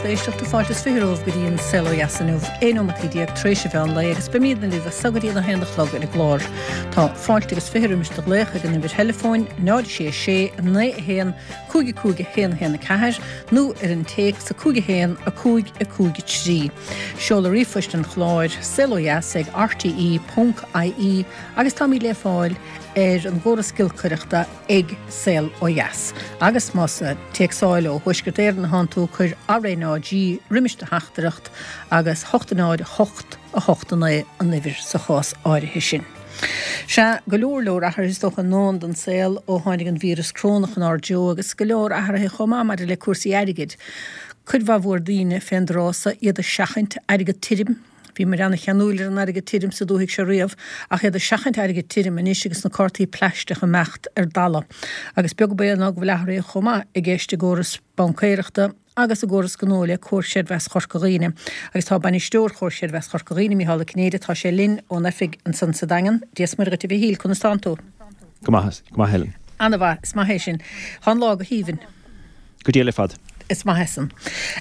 lucht éisteachta, fáilte is 20 romhaibh go dtí an Saol Ó Dheas inniu, 11 nóimeataí tar éis an mheán lae agus beimídne libh as so go dtí an 1 a chlog ar an gclár. Tá fáilte agus 20 roimis do ghlaoch ag an uimhir theileafóin 0 6 6 9 1 5 5 1 1 4 nó ar an téacs 5 1 5 5 3. Seoladh ríomhphoist an chláir, saolodheas ag rte.ie agus táimid le fáil ar an gcóras giolcaireachta ag Saol Ó Dheas. Agus más ag téacsáil ó Thuaisceart Éireann atánn tú, cuir RNAG roimis do theachtaireacht agus 8 0 8 8 9 an uimhir sa chás áirithe sin. Sea, go leor leor athruithe is dócha i ndán don saol ó tháinig an víreas corónach inár dtreo agus go leor athruithe chomh maith maidir le cúrsaí airgid. Cuid mhaith mhór daoine fén dtráth so iad ag seachaint airgead tirim. Bhíomar ana-cheanúil ar an airgead tirim sa dúthaigh seo riamh, ach iad ag seachaint airgid tirim anois agus na cártaí plaisteach ag imeacht ar dalladh. Agus beag baol ná go bhfuil athruithe chomh maith i gceist i gcóras baincéireachta agus i gcóras gnó le Comhar Creidmheasa Chorca Dhuibhne. Agus tá Bainisteoir Chomhar Creidmheasa Chorca Dhuibhne, Micheál Ó Cinnéide, tá sé linn ón oifig ansan sa Daingean. Dia 's Muire dhuit a Mhichíl, conas tánn tú? Go maith, go maith Helen. Ana-mhaith, is maith é sin. Tá an lá go haoibhinn. Go diail ar fad. Is maith é san.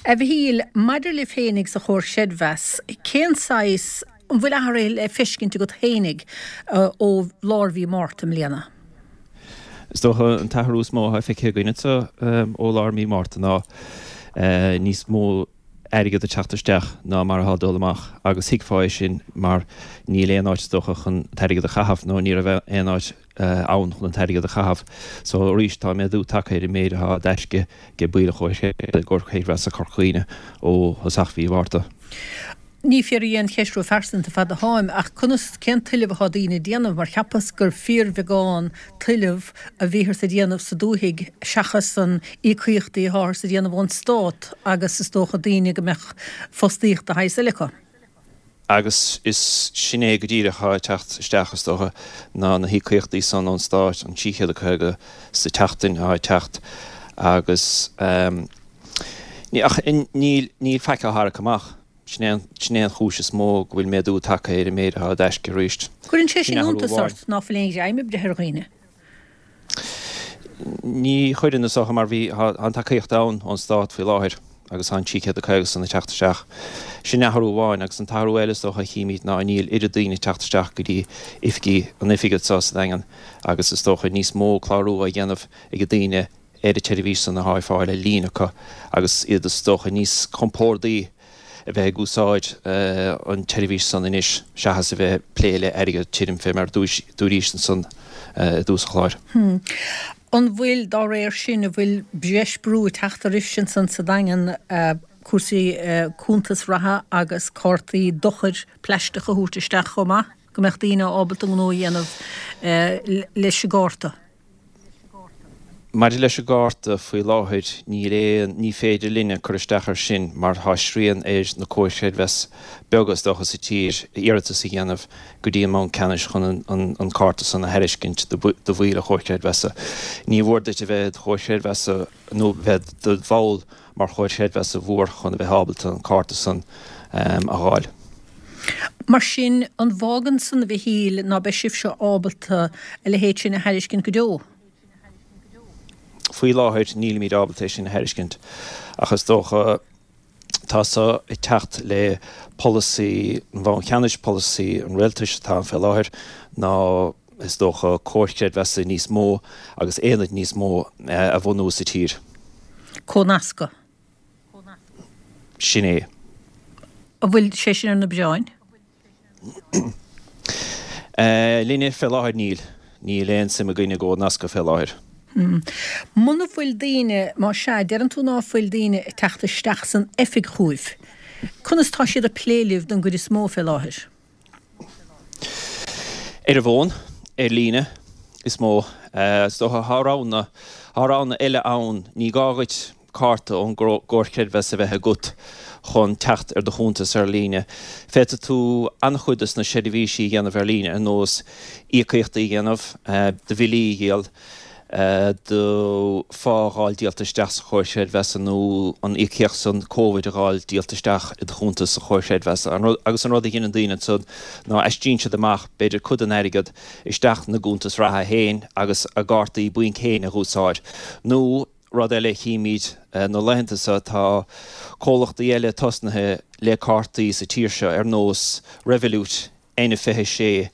A Mhichíl, maidir libh fhéinig sa Chomhar Creidmheasa, cén saghas, an bhfuil athruithe le feiscint agat fhéinig ó lár mhí Márta i mbliana? Is dócha an t-athrú is mó atá feicthe againn anseo ó lár mí Márta ná níos mó airgead ag teacht isteach ná mar atá ag dul amach agus thuigfeá é sin mar níl aon áit is dócha chun an t-airgead a chaitheamh nó ní raibh aon áit ann chun an t-airgead a chaitheamh. So arís tá méadú tagtha ar an méid atá i dtaisce ag baill an Chomhar Creidmheasa Corca Dhuibhne ó thosach mhí Mhárta. Ní fiafraí aon cheist ró-phearsanta fad atáim, ach conas, cén tuilleamh atá daoine ag déanamh, mar cheapas gur fíorbheagán tuilleamh a bhíothas ag déanamh sa dúthaigh seachas an íocaíochtaí atáthas ag déanamh ón stát agus is dócha daoine go mbeadh fostaíocht de shaghas eile acu. Agus is sin é go díreach atá ag teacht isteach, is dócha, ná na híocaíochtaí san ón Stát, an 350 sa tseachtain atá ag teacht agus ach níl, níl faic á tharrac amach. Sin é an, sin é an chúis is mó go bhfuil méadú tagtha ar an méid atá i dtaisce arís. Cuireann sé sin iontas ort ná fuil aon ghreim ag breith ar dhaoine? Ní chuireann, is dócha, mar bhí, tá an tacaíocht ann ón Stát faoi láthair agus tá an 350 san ag teacht isteach. Sin athrú amháin agus an t-athrú eile is dócha a chímid ná níl oiread daoine ag teacht isteach go dtí oifigí, an oifig anseo sa Daingean agus is dócha níos mó clárú á dhéanamh ag daoine ar an tseirbhís san atá ar fáil ar líne acu agus iad is dócha níos compórdaí a bheith ag úsáid an tseirbhís san anois seachas a bheith ag plé le airgead tirim fé mar dúraís ansan i dtús an chláir. An bhfuil, dá réir sin, an bhfuil breis brú ag teacht oraibhse ansan sa Daingean cúrsaí cuntas reatha agus cártaí dochair plaisteach a thabhairt isteach chomh maith, go mbeadh daoine ábalta gnó a dhéanamh leis an gcárta? Maidir leis an gcárta, faoi láthair níl aon, ní féidir linne cur isteach air sin mar tá srian ar na comhair chreidmheasa beaga is dócha sa tír iarratas a dhéanamh go dtí an mBanc Ceannais chun an cárta san a thairiscint do bhaill an chomhair chreidmheasa. Ní mhór duit a bheith i do chomhar creidmheasa nó bheith i do bhall mar chomhar creidmheasa mhór chun a bheith ábalta an cárta san a dh'fháil. Mar sin, an bhfágann san, a Mhichíl, ná beidh sibhse ábalta a leithéid sin a thairiscint go deo? Faoi láthair, nílimid ábalta é sin a thairiscint, ach is dócha, tá so ag teacht le polasaí an Bhainc Cheannais, polasaí an Rialtais atá ann fé láthair, ná, is dócha, comhair chreidmheasa níos mó agus aonaid níos mó a bhunú sa tír. Comhnascadh. Sin é. An bhfuil sé sin ar na bioráin? Linne fé láthair níl. Níl aon suim againn i gcomhnascadh fé láthair. Muna bhfuil daoine, má sea, deireann tú ná fuil daoine ag teacht isteach san oifig chugaibh, conas tá siad ag plé libh don gcuid is mó fé láthair? Ar an bhfón, ar líne, is mó. Is dócha, tá roghanna, tá roghanna eile ann. Ní gá dhuit cárta ón gcomhar creidmheasa a bheith agat chun teacht ar do chuntas ar líne. Féadfaidh tú an-chuid dos na seirbhísí a dhéanamh ar líne, ar nós íocaíochtaí a dhéanamh, do bhillí a dhíol, do phá a dh'fháil díolta isteach sa chomhar creidmheasa nó an íocaíocht san Covid a dh'fháil díolta isteach i do chuntas sa chomhar creidmheasa. Agus an rud a dheineann daoine ansan ná aistríonn siad amach b'fhéidir cuid den airgead isteach 'na gcuntas reatha féin agus a gcártaí bainc féin a dh'úsáid. Nó. Rud eile a chímid na laethanta seo, tá comhlachtaí eile tosnaithe le cártaí sa tír seo ar nós Revolut, N26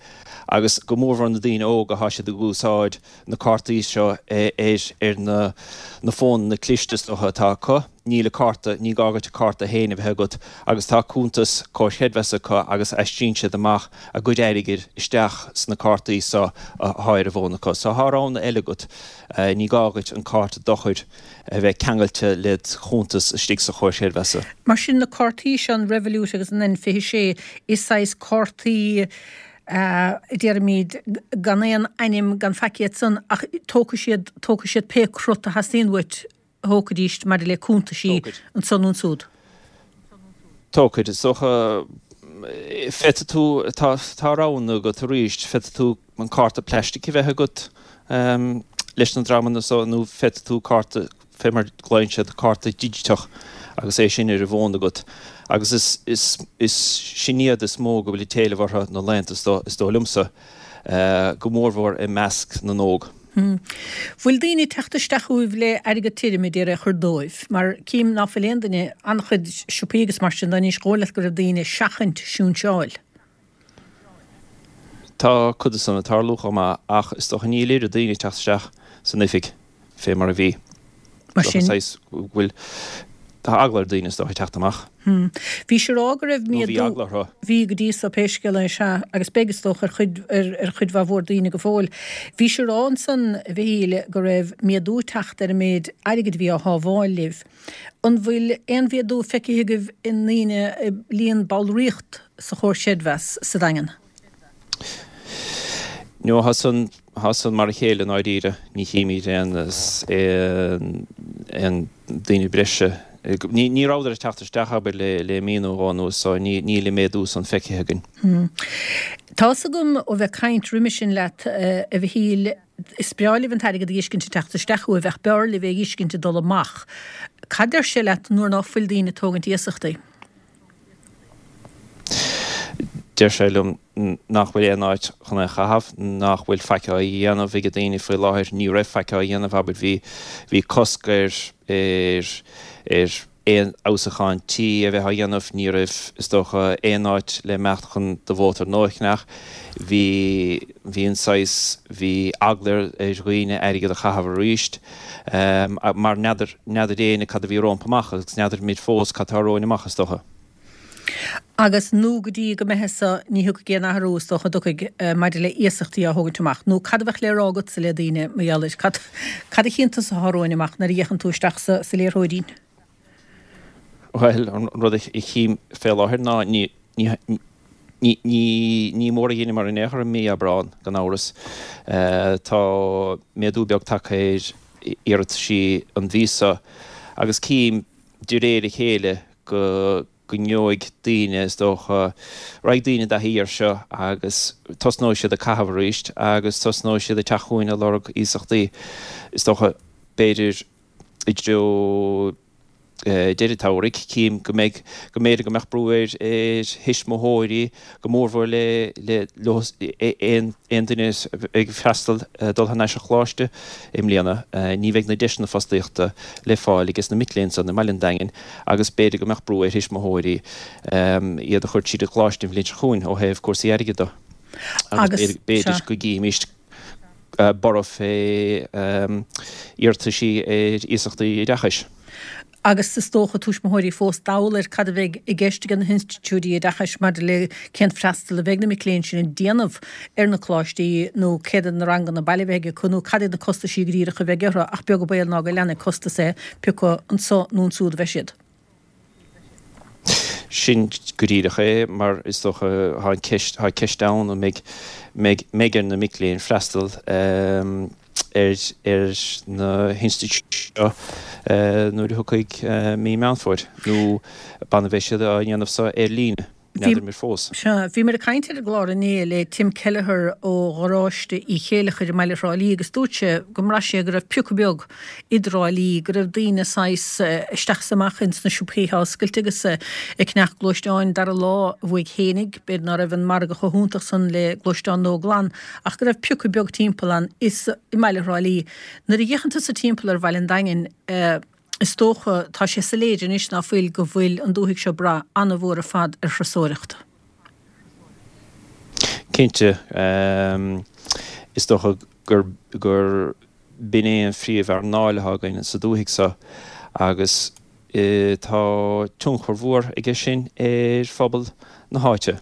agus go mórmhór na daoine óga, tá siad ag úsáid na cártaí seo ar na na fónanna cliste is dócha atá acu. Níl a cárta, ní gá duit a cárta féin a bheith agat agus tá cuntas Comhar Creidmheasa acu agus aistríonn siad amach a gcuid airgid isteach sna cártaí seo atá ar an bhfón acu. So tá roghanna eile agat. Ní gá duit an cárta dochair a bheith ceangailte led chuntas istigh sa Chomhar Creidmheasa. Mar sin, na cártaí seo, an Revolut agus an N26, is saghas cártaí, a déarfaimid, gan aon ainm, gan faic iad san, ach tógfaidh siad, tógfaidh siad pé crut a theastaíonn uait a thógfaidís maidir le cuntaisí anso nó ansúd. Tógfaidh, is dócha. Féadfaidh tú, tá, tá roghanna agat arís, féadfaidh tú an cárta plaistic a bheith agat leis na dreamanna so nó féadfaidh tú cárta, fé mar glaonn siad, cárta digiteach agus é sin ar an bhfón agat. Agus is, is, is sin iad is mó go bhfuil an t-éileamh orthu na laethanta so, is dóigh liomsa, go mórmhór i measc na n-óg. Bhfuil daoine ag teacht isteach chugaibh le airgead tirim a d'iarraidh a chur dóibh? Mar cím ná fuil aon duine, an-chuid siopaí agus mar sin de anois, dhóigh leat go raibh daoine ag seachaint sinseáil. Tá cuid de san ag tarlú chomh maith ach is dócha níl oiread daoine ag teacht isteach san oifig fé mar a bhí. Mar sin. Saghas go bhfuil, tá eagla ar daoine is dócha teacht amach. Bhís ag rá go raibh Nó bhí eagla orthu. Bhí go dtí so pé scéal é, sea, agus beidh is dócha ar chuid, ar chuid mhaith mhór daoine go fóill. Bhís ag rá ansan, a Mhichíl, go raibh méadú ag teacht ar an méid airgid a bhí á shábháil libh. An bhfuil aon mhéadú feicthe agaibh i ndaoine, i líon ballraíocht sa Chomhar Creidmheasa sa Daingean? No, tá san, tá san mar a chéile i ndáiríre. Ní chímid aon, aon, aon daoine breise. Ní, ní rabhadar ag teacht isteach, abair, le, le mí nó dhó anuas so ní, níl an méadú san feicthe againn. Tá 'fhios agam ó bheith ag caint roimhe sin leat, a Mhichíl, Is breá libh an t-airgead a dh'fheiscint ag teacht isteach chugaibh ach b'fhearr libh é a dh'fheiscint ag dul amach. Cad deir sé leat nuair ná fuil daoine ag tógaint iasachtaí? Deir sé liom nach bhfuil aon áit chun é a chaitheamh, nach bhfuil faic á dhéanamh ag daoine faoi láthair. Ní raibh faic á dhéanamh, abair, bhí, bhí cosc ar, ar, ar, aon fheabhsúchán tí a bheith á dhéanamh, ní raibh, is dócha, aon áit le imeacht chun do mhótar nua a cheannach. Bhí, bhí an saghas, bhí eagla ar dhaoine airgead a chaitheamh arís, mar n'fheadar, n'fheadar éinne cad a bhí rompu amach agus n'fheadar muid fós cad tá romhainn amach, is dócha. Agus nó go dtí go mbeidh so, ní thiocfaidh aon athrú, is dócha, an dtiocfaidh, maidir le iasachtaí á thógaint amach. Nó cad a bheadh le rá agatsa le daoine mar gheall air? Cad, cad a chíonn tusa atá romhainn amach nuair a fhéachann tú isteach sa, sa liathróidín? Bhuel, an rud a chím fé láthair ná ní, ní, ní, ní, ní mór a dheineamar in aon chor i mí Aibreán, gan amhras. Tá méadú beag tagtha ar iarrataisí an mhí seo agus cím de réir a chéile go go ngeobhaidh daoine, is dócha, raghaidh daoine i dtaithí air seo agus tosnóidh siad ag caitheamh arís agus tosnóidh siad ag teacht chugainn ag lorg iasachtaí, is dócha, b'fhéidir i dtreo deireadh an tsamhraidh. Cím go mbeidh, go mb'fhéidir go mbeadh brú ar thuismitheoirí, go mórmhór le, le, leo, aon, aon duine ag freastal, dul thar n-ais ar choláiste i mbliana. Ní bheidh na deiseanna fostaíochta le fáil ages na mic léinn san i mbaile an Daingin agus b'fhéidir go mbeadh brú ar thuismitheoirí iad a chur tríd an gcoláiste an bhliain seo chugainn ó thaobh cúrsaí airgid de. Agus b'fhéidir go gcífimís borradh fé iarrataisí ar iasachtaí oideachais. Agus is dócha tuismitheoirí fós dall ar cad a bheidh i gceist ag na hinstitiúidí oideachais maidir le cén freastal a bheidh na mic léinn sin ag déanamh ar na coláistí nó céard iad na ranganna baile a bheidh acu nó cad iad na costaisí go díreach a bheidh orthu ach beag an baol ná go leanfaidh costas é pé acu anso nó ansúd a bheidh siad. Sin go díreach é mar is dócha tá an ceist, tá ceist ann an mbeidh, mbeidh, mbeidh ar na mic léinn freastal ar ar na hinstitiúidí seo nuair a thiocfaidh mí Meán Fómhair nó b'annamh a bheidh siad á dhéanamh so ar líne. N'fheadar muid fós. Sea, bhíomar ag caint ar an gclár inné le Tim Kelleher ó Gharáiste Uí Chéileachair i mbaile Thrá Lí agus dúirt sé go mbraith sé go raibh piocadh beag i dTrá Lí, go raibh daoine saghas isteach is amach ins na siopaí atá oscailte agus ag ceannach gluaisteáin dara lá uaidh fhéinig, b'fhéidir ná raibh an margadh chomh hiontach san le gluaisteáin nua glan ach go raibh piocadh beag timpeall ann is i mbaile Thrá Lí. Nuair a fhéachann tusa timpeall ar bhaile an Daingin, Is dócha, tá sé soiléir anois ná fuil, go bhfuil an dúthaigh seo ag brath an-mhór ar fad ar thurasóireacht. Cinnte, is dócha gur gur b'in é an phríomh-earnáil atá againn sa dúthaigh seo agus tá tionchar mhór aige sin ar phobal na háite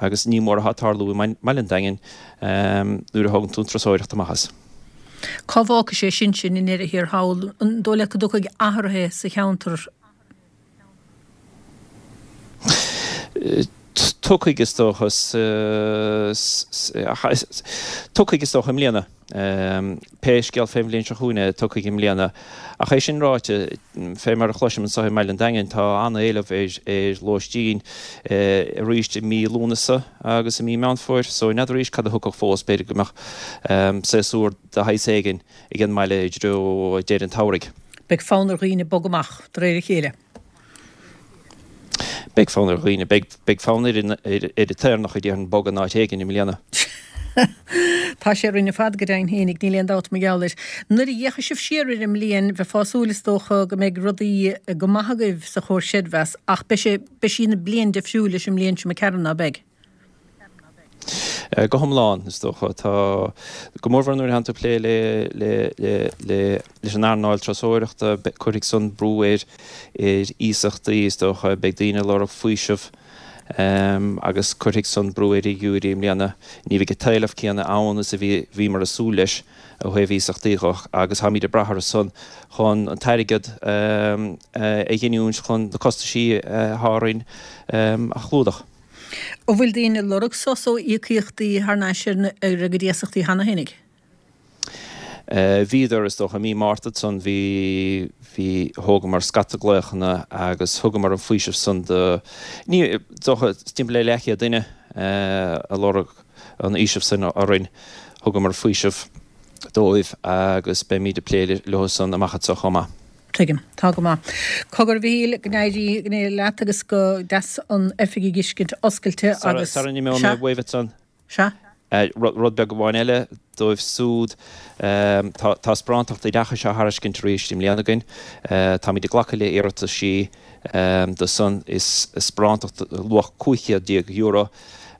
agus ní mór atá ag tarlú i mbaile an Daingin nuair a thógann tú an turasóireacht amach as. Cá bhfágfaidh sé sin sinn i ndeireadh thiar thall? An dóigh leat go dtiocfaidh athruithe sa cheantar? Tiocfaidh is dócha, tiocfaidh is dócha i mbliana. Pé scéal fén bhliain seo chugainn é, tiocfaidh i mbliana. Ach é sin ráite, fé mar a chloisim anseo i mBaile an Daingin, tá an-éileamh ar lóistín arís i mí Lúnasa agus i mí Meán Fómhair, so n'fheadar arís cad a thiocfadh fós, b'fhéidir go mbeadh séasúr de shaghas éigin ag an mbaile i dtreo deireadh an tsamhraidh. Beidh fonn ar dhaoine bogadh amach de réir a chéile. Beidh fonn ar dhaoine. Beidh fonn ar an tÉireannach a déarfainn bogadh in áit éigin i mbliana. Tá sé orainn ar fad go deimhin fhéinig, níl aon dabht mar gheall air. Nuair a fhéachfaidh sibh siar ar an mbliain, bheifeá ag súil is dócha go mbeidh rudaí go maith agaibh sa Chomhar Creidmheasa ach beidh sé, beidh sí ina bliain difriúil leis an mbliain seo imigh tharainn, ná beidh? Go hiomlán, is dócha. Tá, go mórmhór nuair a thánn tú ag plé le, le, le, le, leis an earnáil turasóireachta, cuirfidh san brú ar, ar iasachtaí, is dócha. Beidh daoine ag lorg faoiseamh agus cuirfidh san brú ar fhigiúirí i mbliana. Ní bheidh an t-éileamh céanna ann is a bhí, bhíomar ag súil leis ó thaobh iasachtaí dho agus táimid ag brath orthu san chun an t-airgead a ghiniúint chun na costaisí atá orainn a chlúdach. An bhfuil daoine ag lorg sos ó íocaíochtaí thar n-ais ar a gcuid iasachtaí cheana fhéinig? Bhíodar, is dócha, i mí Márta ansan bhí, bhí, thógamar scata glaochanna agus thugamar an faoiseamh san do, ní, is dócha, timpeall le leathchéad duine a lorg an fhaoiseamh san orainn. Thugamar faoiseamh dóibh agus beimíd ag plé leo san amach anseo chomh maith. Tuigim. Tá go maith. Cogar, a Mhichíl, go n-éirí, go n-éirí leat agus go deas an oifig a fheiscint oscailte agus. Sara n-imeoidh mé uaibh ansan. Sea. Rud beag amháin eile dóibh súd, tá Sparántacht Oideachais á thairiscint arís i mbliana againn. Táimid ag glacadh le iarrataisí do san. Is sparántacht luach €15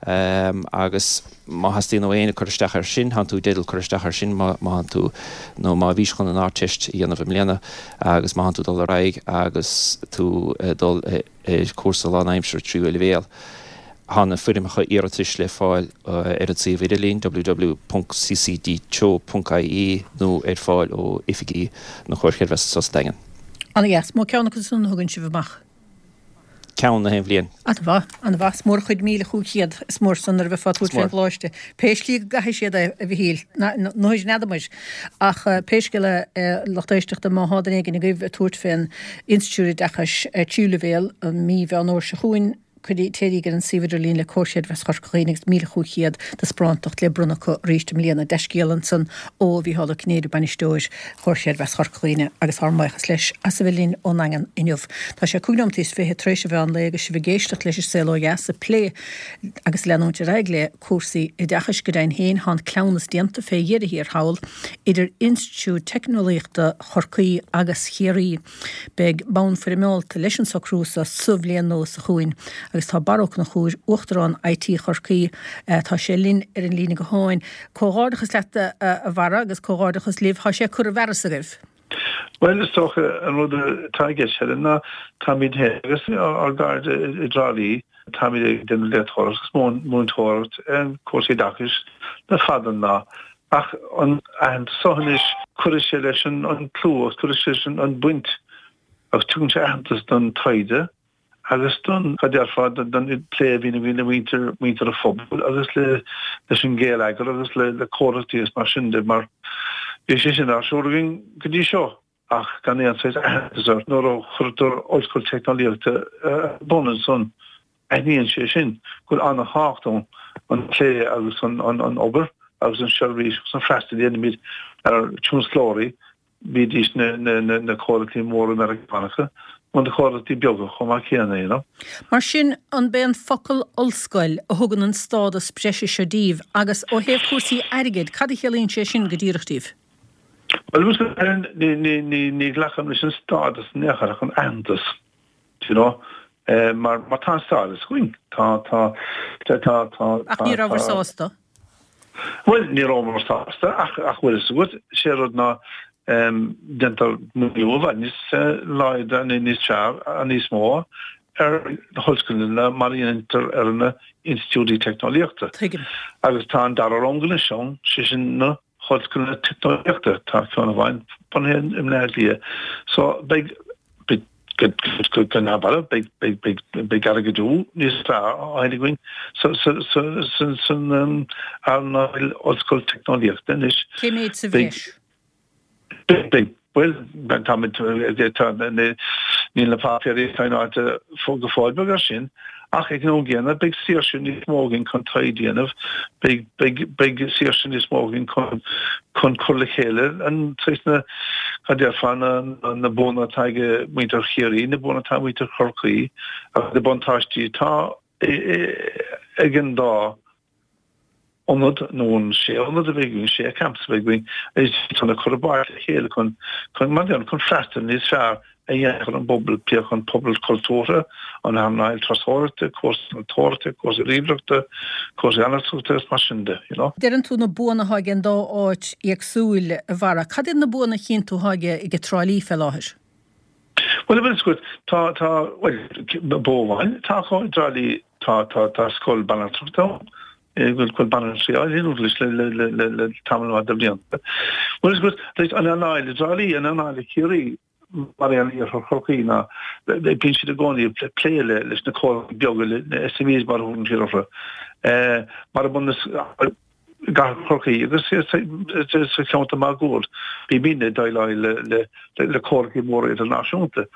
Agus má theastaíonn ó éinne cur isteach air sin, tánn tú i dteideal cur isteach air sin má má thánn tú, nó má bhís chun an Ardteist a dhéanamh i mbliana agus má thánn tú dul ar aghaidh agus tú ag dul ar cúrsa lánaimseartha tríú leibhéal. Tá na foirmeacha iarratais le fáil ar an suíomh idirlín, www.ccdteo.ie, nó ar fáil ó oifigí na Comhair Chreidmheasa anseo sa Daingean. Ana-dheas. Mó ceann acu san a thugann sibh amach. ceann na haon bhliain. An-mhaith, an-mhaith. Is mór an chuid 1,500, is mór san nuair a bheifeá ag tabhairt fén gcoláiste. Pé slí go gcaithfidh siad é, a Mhichíl, n'fheadar n'fheadamair. Ach pé scéal é, a lucht éisteachta, má thá duine éigin agaibh ag tabhairt fén Institiúid Oideachais tríú leibhéal i mí Mheán Fhómhair seo chugainn, cuirí, téiríg ar an suíomh idirlín le Comhar Creidmheasa Chorca Dhuibhne agus 1,500 de sparántacht le bronnadh acu arís i mbliana. Dea-scéala ansan ó Mhícheál Ó Cinnéide, Bainisteoir Chomhar Creidmheasa Chorca Dhuibhne agus ár mbuíochas leis as a bheith linn ón nDaingean inniu. Tá sé cúig nóimeataí is fiche tar éis an mheán lae agus sibh ag éisteacht leis an Saol Ó Dheas ag plé agus leanúint ar aghaidh le cúrsaí oideachais. Go deimhin féin tá an cleamhnas déanta fé dheireadh thiar thall idir Institiúid Teicneolaíochta Chorcaí agus Chiarraí. Beidh bonn foirmeálta leis an socrú seo sa bhliain nua seo chugainn agus tá Barra Ó Conchúir, Uachtarán IT Chorcaí, tá sé linn ar an líne gutháin. Comhghairdeachas leat a Bharra agus comhghairdeachas libh. Tá sé curtha i bhfearas agaibh. Bhuel, is dócha an rud atá i gceist, Helen, ná táimid féin agus ár gcairde i dTrá Lí, táimid ag déanamh léachtóireacht agus múinteoireacht ar cúrsaí oideachais le fada an lá. Ach an aitheantas seo anois, cuirfidh sé leis an clú agus cuirfidh sé leis an baint agus tugann sé aitheantas don taighde agus don, cad déarfá, don plé a bhíonn againn le muintir, muintir an phobail agus le, leis an gheilleagar agus le, le comhlachtaí agus mar sin de mar bhí sé sin ar siúl againn go dtí seo ach gan aon saghas aitheantas air. Nuair a chuirtear Ollscoil Teicneolaíochta ar bun ansan. Aithníonn sé sin go bhfuil an-thábhacht ann an plé agus an obair agus an seirbhís agus an freastal a dhéanaimid ar tionsclóirí, bídís na comhlachtaí móra Meiriceánacha nó na comhlachtaí beaga chomh maith céanna, you know. Mar sin, an b'é an focal 'ollscoil' a thugann an stádas breise seo díbh agus ó thaobh cúrsaí airgid, cad a chiallaíonn sé sin go díreach díbh? Bhuel, ní ghlacaim leis an stádas in aon chor ach an aitheantas. Do you know? Mar mar tá an stádas againn. Tá, tá, tá, tá, tá, Ach ní rabhabhair sásta? Bhuel, ní rabhamar sásta ach ach bhfuil fhios agat, sé rud ná déantar maoiniú i bhfad níos láidre, níos fearr, níos mó ar na hollscoileanna mar a dhéantar ar na institiúidí teicneolaíochta. Tuigim. Agus tá an dara rang anois ann, sé sin na hollscoileanna teicneolaíochta, tá ceann amháin bunaithe i mBleá Cliath. So beidh, beidh, go neamhbhalbh, beidh, beidh, beidh, beidh airgeadú níos fearr á fháil againn sa, sa, sa, sa, san earnáil ollscoil teicneolaíochta anois. Cé mhéad sa bhreis? Beidh, bhuel, táimid, tá, níl na páipéirí saighneáilte go fóill beag air sin, ach ag an am gcéanna beidh saoirse níos mó againn chun taighde a dhéanamh, beidh, beidh, beidh saoirse níos mó againn chun, chun cur le chéile an saghas na, cad déarfá, na, na buanna atá ag muintir Chiarraí, na buanna atá ag muintir Chorcaí agus na buntáistí atá ag an dá ionad nó an sé ionad a bheidh againn, sé campas a bheidh againn, is chun a chur i bpáirt le chéile chun, chun, mar chun freastal níos fearr a dhéanamh ar an bpobal, pé an pobal cultúrtha, an earnáil turasóireachta, cúrsaí innealtóireachta, cúrsaí ríomhaireachta, cúrsaí analtrachta agus mar sin de, you know. Deireann tú na buanna atá ag an dá áit éagsúil, a Bharra. Cad iad na buanna a chíonn tú atá ag Trá Lí fé láthair? Bhuel, bhfuil fhios agat, tá, tá, bhuel, bua amháin atá acu i dTrá Lí, tá, tá, tá scoil banaltrachta ann, go bhfuil banaltraí á oiliúint anois le, le, le, le, le tamall maith de bhlianta. Bhfuil fhios agat, like, an earnáil i dTrá Lí, an earnáil i Ciarraí, mar aon le Iarthar Chorcaí, ná bíonn siad i gcónaí ag plé le, leis na comhlachtaí beaga, le, na SMEs mar a thugann siad orthu. Mar a bun, i gcathair Chorcaí agus sa cheantar máguaird. Bímidne ag déileáil le comhlachtaí móra idirnáisiúnta.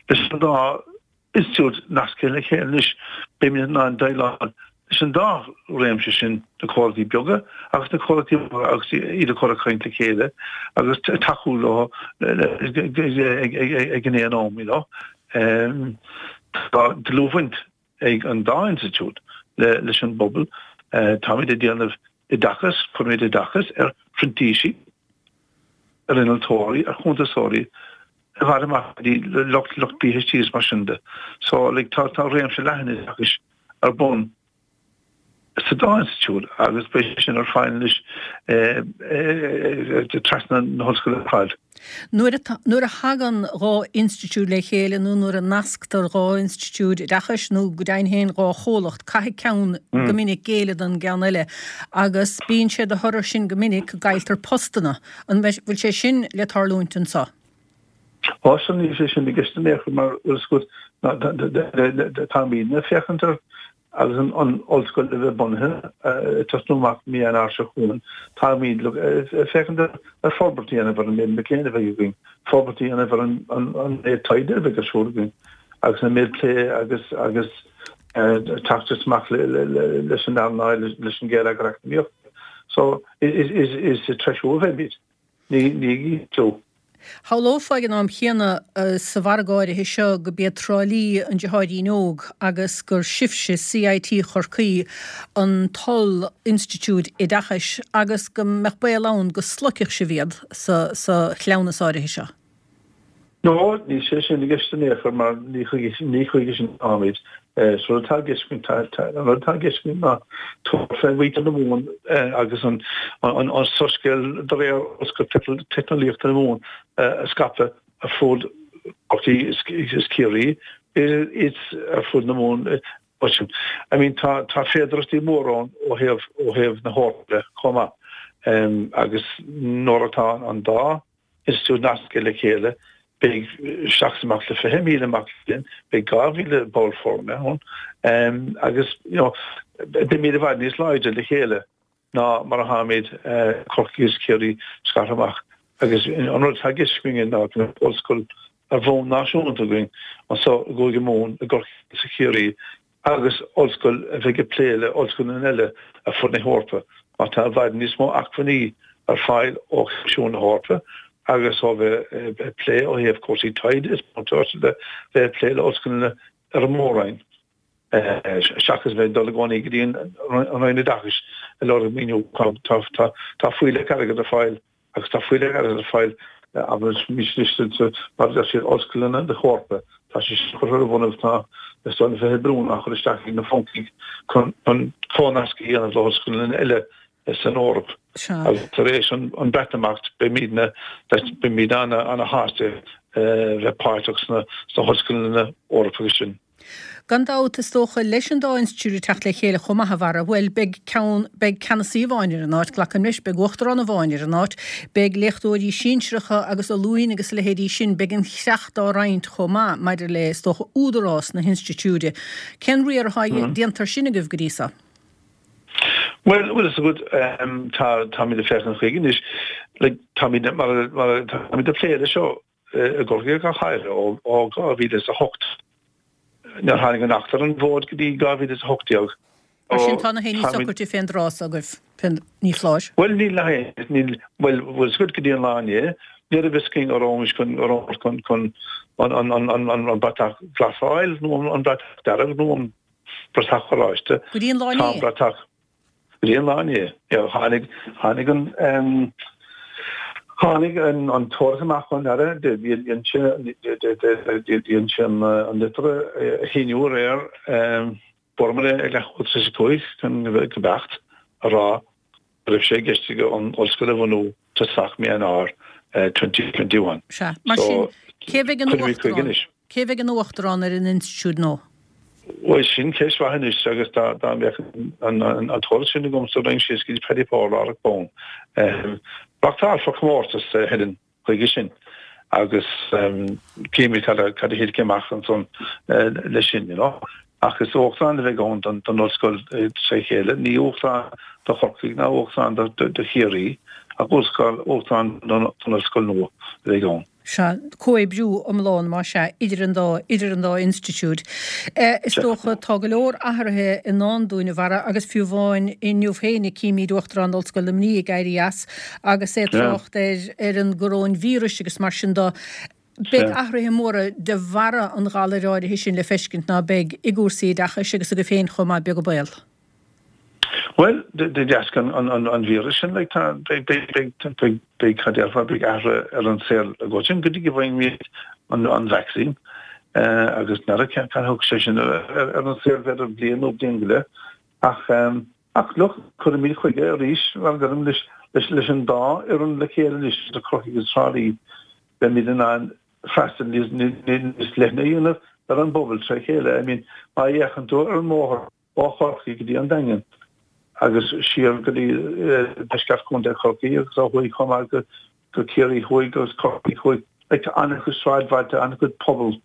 Leis an dá institiúid nasctha le chéile anois, beimid in ann déileáil leis an dá réimse sin, na comhlachtaí beaga agus na comhlachtaí móra agus iad a chur ag caint le chéile agus tacú leo ag an aon am, you know. Tá dlúthbhaint ag an dá institiúid leis an bpobal. Táimid ag déanamh oideachas, cuirimid oideachas ar phrintísigh, ar innealtóirí, ar chuntasóirí, i bhfad amach go dtí lucht lucht PhD is mar sin de. So like tá tá réimse leathan oideachais ar bun sa dá institiúid agus beidh sé sin ar fáil anois trasna na hollscoile ar fad. Nuair a nuair a thagann dhá institiúid le chéile nó nuair a nasctar dhá institiúid oideachais nó go deimhin féin dhá chomhlacht, caithfidh ceann go minic géilleadh don gceann eile agus bíonn sé de thoradh sin go minic go gcailltear postanna. An bhfuil sé sin le tarlúint anseo? Á, sea, níl sé sin i gceist in aon chor mar bhfuil fhios agat táimidne ag féachaint ar Agus an ollscoil a bheith bunaithe, ag tosnú amach mí Eanáir seo chugainn, táimid ag féachaint ar forbairt a dhéanamh ar an méid mic léinn a bheidh againn, forbairt a dhéanamh ar an méid taighde a bheidh ar siúl againn agus an méid plé agus agus teacht amach leis an earnáil, leis an gheilleagar eacnamaíochta. So, is ag treisiú a bheimid. Ní ag ísliú. Shamhlófá ag an am chéanna sa mhargadh áirithe seo go b'iad Trá Lí an deartháirín óg agus gur sibhse, CIT Chorcaí, an t-oll-institiúid oideachais agus go mbeadh baol ann go sloigfeadh sibh iad sa chleamhnas áirithe seo. No, níl sé sin i gceist in aon chor mar ní chuige ní chuige sin atáimid. Is rud atá i gceist againn, tá, an rud atá i gceist againn ná tabhairt fé mhuintir na Mumhan agus an an soiscéal de réir Ollscoil Teicneolaíochta na Mumhan a scaipeadh ar fud Chorcaí is Ciarraí is ar fud na Mumhan. I mean tá tá féidearthachtaí móra ann ó thaobh ó thaobh na hEorpa de chomh maith agus nuair atá an dá institiúid nasctha le chéile, beidh isteach is amach le 20,000 mac léinn, beidh 2,000 ball foirne ann agus you know beimid i bhfad níos láidre le chéile ná mar atáimid Corcaigh is Ciarraí scartha amach. Agus an rud atá i gceist againn ná go mbeadh ollscoil ar bhonn náisiúnta againn anseo i gCúige Mumhan, i gCorcaigh is i Ciarraí. agus ollscoil a bheidh ag plé le ollscoileanna eile ar fud na hEorpa mar tá i bhfad níos mó acmhainní ar fáil ó Choimisiún na hEorpa agus ó bheith ag plé ó thaobh cúrsaí taighde is múinteoireachta de bheith ag plé le ollscoileanna ar an mór-roinn seachas bheith ag dul i gcónaí go dtí an Roinn Oideachais ag lorg maoiniú. Tá fuílleach airgid ar fáil agus tá fuílleach airgid ar fáil anois mar a deir siad ollscoileanna na hEorpa. Tá sé sin curtha ar bun agus tá is dóigh na 20 billiún á chur isteach ag na Francaigh chun comhnasc a dhéanamh le hollscoileanna eile san Eoraip. Agus tar éis an Breatimeacht beimidne beimid ana-shásta bheith páirteach sna hollscoileanna Eorpacha sin. Gan dabht, is dócha, leis an dá institiúid ag teacht le chéile chomh maith, a Bharra, bhuel, beidh ceann, beidh ceannasaí amháin ar an áit, glacaim leis, beidh uachtarán amháin ar an áit, beidh léachtóirí sinsearacha agus ollúna agus a leithéidí sin, beidh an chreach dá roinnt chomh maith maidir le, is dócha, údarás na hinstitiúide. Cén riar atá déanta air sin agaibh go dtí so? Bhuel, bhfuil fhios agat, tá, táimid ag féachaint chuige anois, like, táimid, mar, mar, táimid ag plé leis seo, i gCorcaigh go háirithe ó 2008. Níor tháinig an Acht ar an bhfód go dtí 2018. Mar sin tá na héinní socraithe fén dtráth so agaibh, ní foláir. Bhuel níl na héinní, níl, bhuel bhfuil fhios agat go dtí an lá inné, ní raibh fhios againn an rabhais chun, an rabhamar chun, chun an, an, an, an, an, an bratach glas a fháil nó an, an bratach dearg nó an bratach oráiste. Go dtí an lá inné? Tá an bratach. Go dtí an lá inné, tháinig, tháinig an, tháinig an, an t-eolas amach ón Aire, dhein sé, dhein sé an, an litir a shíniú aréir, fuaireamar é ag leathuair tar éis a 5 chun go beacht, a rá go raibh sé i gceist aige an ollscoil a bhunú tosach mí Eanáir 2021. Sea. Mar sin, cé bheidh ina uachtarán? Cé bheidh ina uachtarán ar an institiúid nua? Bhuel, sin ceist mhaith anois agus dá mbeadh an t-eolas sin agamsa raghainn síos go dtí Paddy Power láithreach bonn. Reáchtálfar comórtas, a Helen, chuige sin agus cífimid cad a thitfidh amach ansan leis sin, you know. Ach is uachtarán a bheidh ann don ollscoil tré chéile, ní uachtarán do Chorcaigh ná uachtarán do Chiarraí ach uachtarán don ollscoil nua a bheidh ann. Sea, comhoibriú iomlán, más ea, idir an dá, idir an dá institiúid. Is dócha, tá go leor athruithe i ndán dúinn, a Bharra, agus fiú amháin inniu féin címid Uachtarán Ollscoil Luimnigh ag éirí as agus é ag trácht ar, ar an gcoróinvíreas agus mar sin de. Beidh athruithe móra de bharra an ghalair áirithe sin le feiscint, ná beidh, i gcúrsaí oideachais agus agaibh féin chomh maith, beag an baol. Bhuel, de dheasca an víris sin, like, tá, beidh, beidh, beidh, beidh, beidh, cad déarfá, beidh athruithe ar an saol i gcoitinne go dtí go bhfaighimid an, an vacsaín. Agus n'fheadar cén, cad a thug sé sin ar, ar an saol, b'fhéidir bliain nó bliain go leith. Ach, ach look, cuirfimid chuige arís, mar a deirim, leis, leis, leis an dá fhoireann le chéile anois, idir Corcaigh agus Trá Lí, beimid in ann freastal níos, níos leithne a dhéanamh ar an bpobal tré chéile. I mean, má fhéachann tú ar an mbóthar, ó Chorcaigh go dtí an Daingean agus siar go dtí deisceart Chontae Chorcaí agus ó thuaidh chomh maith go go Ciarraí Thuaidh agus Corcaigh Thuaidh. Like tá an-chuid sráidbhailte, an-chuid pobal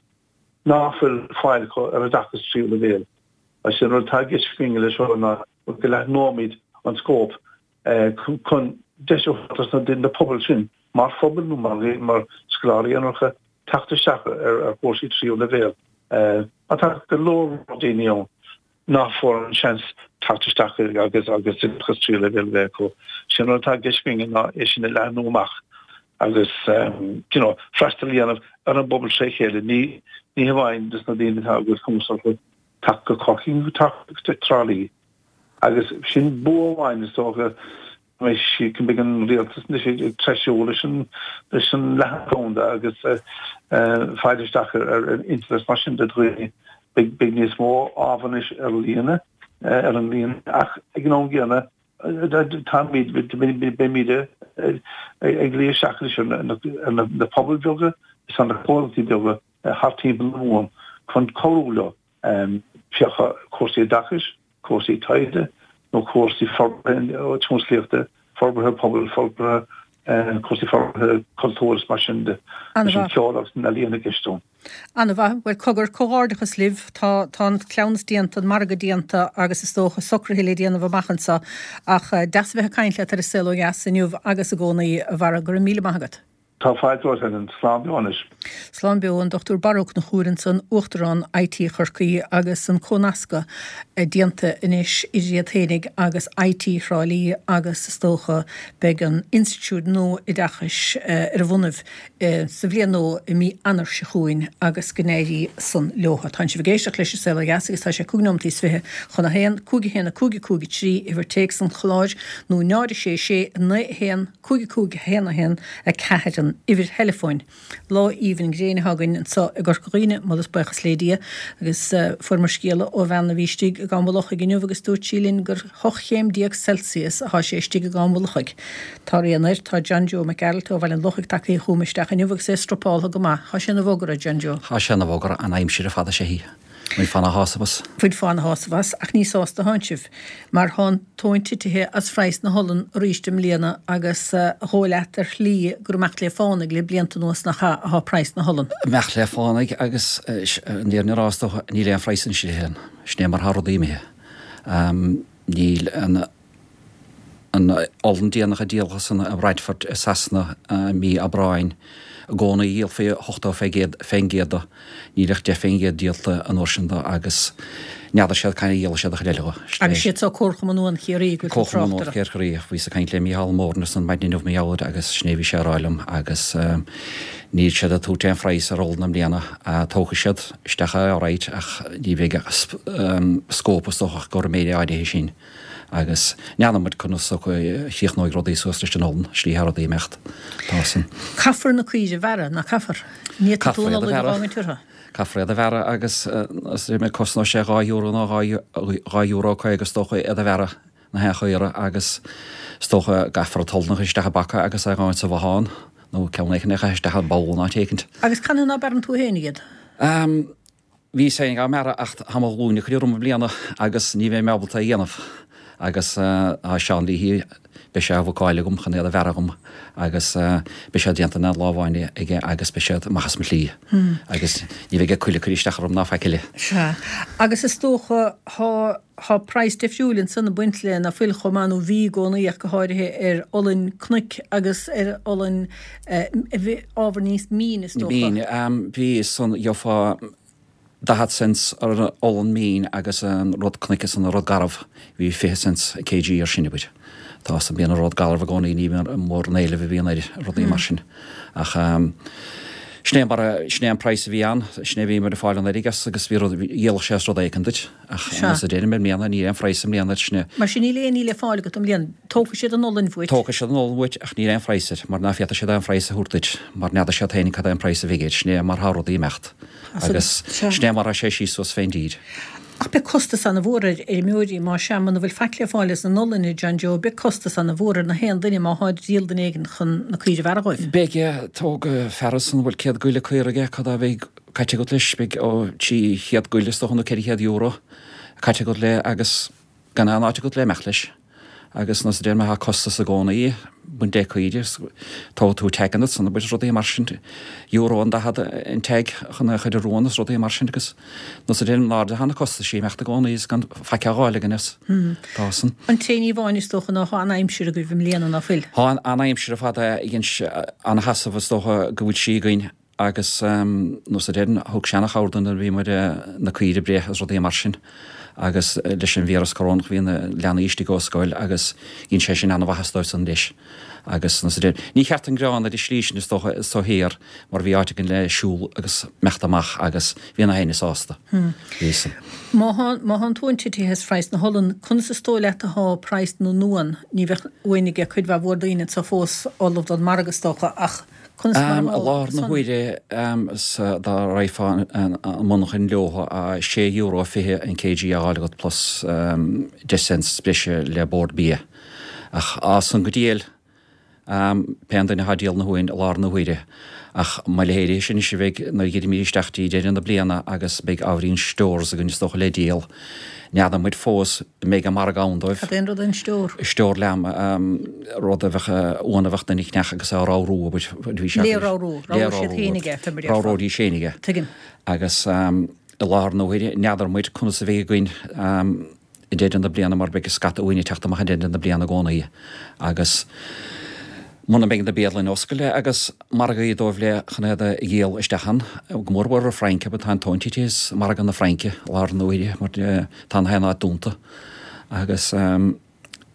ná fuil fáil acu ar oideachas tríú leibhéal. Agus an rud atá i gceist againn leis seo ná go leathnóimid an scóip chun deis a thabhairt do na pobail sin mar phobal nó mar mar scoláirí aonaracha teacht isteach ar chúrsaí tríú leibhéal. Mar tá go leor daoine ann nach bhfuair an seans teacht isteach agus agus oideachas tríú leibhéal a bheith acu. Sin rud atá i gceist againn ná é sin a leathnú amach agus you know freastal a dhéanamh ar an bpobal tré chéile, ní ní hamháin dos na daoine atá a bhfuil cumas orthu teacht go Corcaigh nó teacht go Trá Lí. Agus sin bua amháin is dócha go mbeidh an rialtas anois ag treisiú leis an leis an leathan domhanda agus fáil isteach ar an internet mar sin de dhaoine. Beidh beidh níos mó ábhar anois ar líne ar an líne ach ag an am gcéanna táimid beimid ag luí isteach anois ar na pobail bheaga is ar na comhlachtaí beaga thart timpeall na Mumhan chun cabhrú leo. Féach cúrsaí oideachais, cúrsaí taighde nó cúrsaí forbartha tionsclaíochta, forbartha pobail, forbartha cúrsaí forbartha cultúir is mar sin de. Leis an cheol agus na healaíona i gceist ann. An-mhaith. Bhuel, cogar, comhghairdeachas libh. Tá, tá an cleamhnas déanta, an margadh déanta agus is dócha socruithe le déanamh amach anseo. Ach deas a bheith ag caint leat ar An Saol Ó Dheas inniu agus i gcónaí, a Bharra. Go raibh míle maith agat. Tá fáilte romhat, Helen. Slán beo anois. Slán beo, an Dr Barra Ó Conchúir ansan, Uachtarán IT Chorcaí agus an comhnascadh déanta anois idir iad fhéinig agus IT Thrá Lí agus is dócha beidh an institiúid nua oideachais ar a bhonnaibh sa bhliain nua i mí Eanáir seo chugainn agus go n-éirí san leotha. Tánn sibh ag éisteacht leis An Saol Ó Dheas agus tá sé 5 nóimeataí is 20 chun a haon, 5 1 5 5 3 uimhir téacs an chláir nó 0 6 6 9 1 5 5 1 1 4 an uimhir theileafóin. Lá aoibhinn gréine atá againn anseo i gCorca Dhuibhne, moladh is buíochas le Dia, agus fuaireamar scéala ó bhean a bhí istigh i gCam an Lochaigh inniu agus dúirt sí linn gur 18 chéim Celsius atá sé istigh i gCam an Lochaigh. Tá rian air, tá John Joe Mac Gearailt ó Bhaile an Lochaigh tagtha chugam isteach inniu agus é strupáltha go maith. Tá sé ina bhogaire, John Joe. Tá sé ina bhogaire, an aimsir ar fad is ea í. Bhfuil fána shásamh as? Bhfuil fána shásamh as, ach ní sásta atánn sibh, mar thá an tóin titithe as phraghas na holann arís i mbliana agus a dhóigh leat ar shlí gur imeacht le fánaidh le blianta anuas nach ea athá praghas na holann. Imeacht le fánaidh agus an fhírinne a rá is dócha níl aon phraghas anois a Helen. Sin é mar thá rudaí imithe. Níl an. An olann déanach a díoladh san i mBradford i Sasana i mí Aibreáin, i gcónaí dhíolfaí 80% de, níl ach 10% díolta an uair sin de agus n'fheadar siad cathain a dhíolfaidh siad an chuid eile de. Agus siad seo Comharchumann Uan Chiarraí go bhfuil tú ag trácht orthu. Comharchumann Uan Chiarraí. Bhíos ag caint le Mícheál Moran ansan maidin inniu mar gheall air agus sin é a bhí sé a rá liom agus níl siad ag tabhairt aon phraghas ar olann i mbliana. Tógfaidh siad isteach é alright ach ní bheidh scóip is dócha ach go raibh an méid áirithe sin. Agus n'fheadar muid conas a chríochnóidh rudaí suas leis an olann, slí thá rudaí imeacht. Tá san. Caithfear na caoirigh a bhearradh, nach caithfear? Ní fhéadfaidh tú an olann a fhágaint orthu. Caithfear iad a bhearradh agus cosnóidh sé €2 nó €2.50 is dócha iad a bhearradh, na haon chaora agus is dócha gcaithfear an t-olann a chur isteach i bpaca agus é a ghabhaint sa bhothán nó ceann éicint a chur isteach i bpoll in áit éicint. Agus canathaobh ná bearrann tú féin iad? Bhíos féin á mbearradh ach tá mo ghlúin ag cur orm i mbliana agus ní bheidh mé ábalta é a dhéanamh agus tá Seán Leahy, beidh sé á bhookáil agam chun iad a bhearradh dhom agus beidh siad déanta in aon lá amháin aige agus beidh siad amach as mo shlí agus ní bheidh coill ag cur isteach orm ná faic eile. Sea. Agus is dócha thá, thá praghas difriúil ansan ag baint le ná fuil chomh maith nó bhí i gcónaí ach go háirithe ar olainn cnoic agus ar olainn ábhar níos míne is dócha. Mín, bhí san, gheofá 40 cents ar an olann mín agus an rud cnoic is an rud garbh, bhí 20 cents kg air sin, abair. Tá san, bíonn an rud garbh i gcónaí, ní bhíonn mór an éileamh a bhíonn air, rudaí mar sin. Ach sin é mar a, sin é an praghas a bhí ann, sin é a bhí muid ag fáil anuraidh as agus bhí rud, dhíolfadh sé as rud éicint duit. Ach mar a deirim i mbliana, níl aon phraghas i mbliana air sin. Mar sin níl aon ní le fáil agat i mbliana. Tógfaidh siad an olann uait. Tógfaidh siad an olann uait ach níl aon phraghas air, mar ná féadfaidh siad aon phraghas a thabhairt duit, mar n'fheadar siad féin cad é an praghas a bheidh air. Sin é mar thá rudaí imeacht. Agus sin é mar thá sé síos suas fén dtír. Ach beidh costas ana-mhór ar fheirmeoirí, má sea, muna bhfuil faic le fáil as an olann, a John Joe, beidh costas ana-mhór ar na haon duine má tháid ag díol duine éigin chun na caoirigh a bhearradh dhóibh. Beidh, tóg fear ansan a bhfuil 100 goile caora aige, cad é a bheidh caite agat leis, beidh ó 300 goile is dócha nó €400 caite agat le agus gan aon áit agat le imeacht leis. Agus nós a deir mé thá costas i gcónaí baint le caoirigh, tógfaidh tú tag ansan abair rudaí mar sin, euro an 40 an tag chun é a chur ar uan is rudaí mar sin agus nós a deir in airde thá na costaisí imeacht i gcónaí is gan faic á dh'fháil againn as. Tá san. An t-aon ní amháin is dócha ná thá an-aimsir agaibh i mbliana ná fuil? Thá an-aimsir ar fad a dhein an-sheasamh is dócha go bhfuil sí againn Agus nós a deireann, thug sé ana-chabhair dúinn nuair a bhí muid na caoirigh ag breith is rudaí mar sin. Agus leis an víreas corónach bhí na leanaí istigh ó scoil agus dhein sé sin ana-mhaitheas dóibh san leis. Agus nós a deireann, ní cheart an gearán ar an slí sin is dócha so thiar mar bhí áit againn le siúl agus imeacht amach agus bhí na héinne sásta. Bhí san. Má thá, má thá an tóin titithe as praghas na holann, conas is dóigh leat athá praghas na n-uan? Ní bheadh uain aige cuid mhaith mhór daoine anso fós ullamh don margadh is dócha ach, Conas mar I láthair na huaire dá raghfá an monarchan leothu €6.20 an kg á fháil agat plus 10 cents breise le Bord Bia. Ach as san go diail pé an duine atá ag díol na huain i láthair na huaire. Ach mo leithéid sin anois a bheidh nuair a gheibhimid isteach dtí deireadh na bliana agus beidh ábhairín stores againn is dócha le díol. N'fheadar muid fós an mbeidh an margadh ann dóibh. Cad é an rud an stiúr? Stiúr lamb, rud a bheadh, uan a bheadh duine ag ceannach agus é á ramhrú, abair, bhí sé. Le ramhrú, ramhródh siad féinig é, fé mar a déarfá. Ramhróidís féinig é. Tuigim. Agus i láthair na huaire, n'fheadar muid conas a bheidh againn i deireadh na bliana mar beidh scata uain ag teacht amach i deireadh na bliana i gcónaí agus. Muna mbeidh na bialanna oscailte agus margaí dóibh le chun iad a dhíol isteach ann, go mór mhór an Fhrainc, abair tá an tóin tite as margadh na Fraince i láthair na huaire mar tá na haon áit dúnta. Agus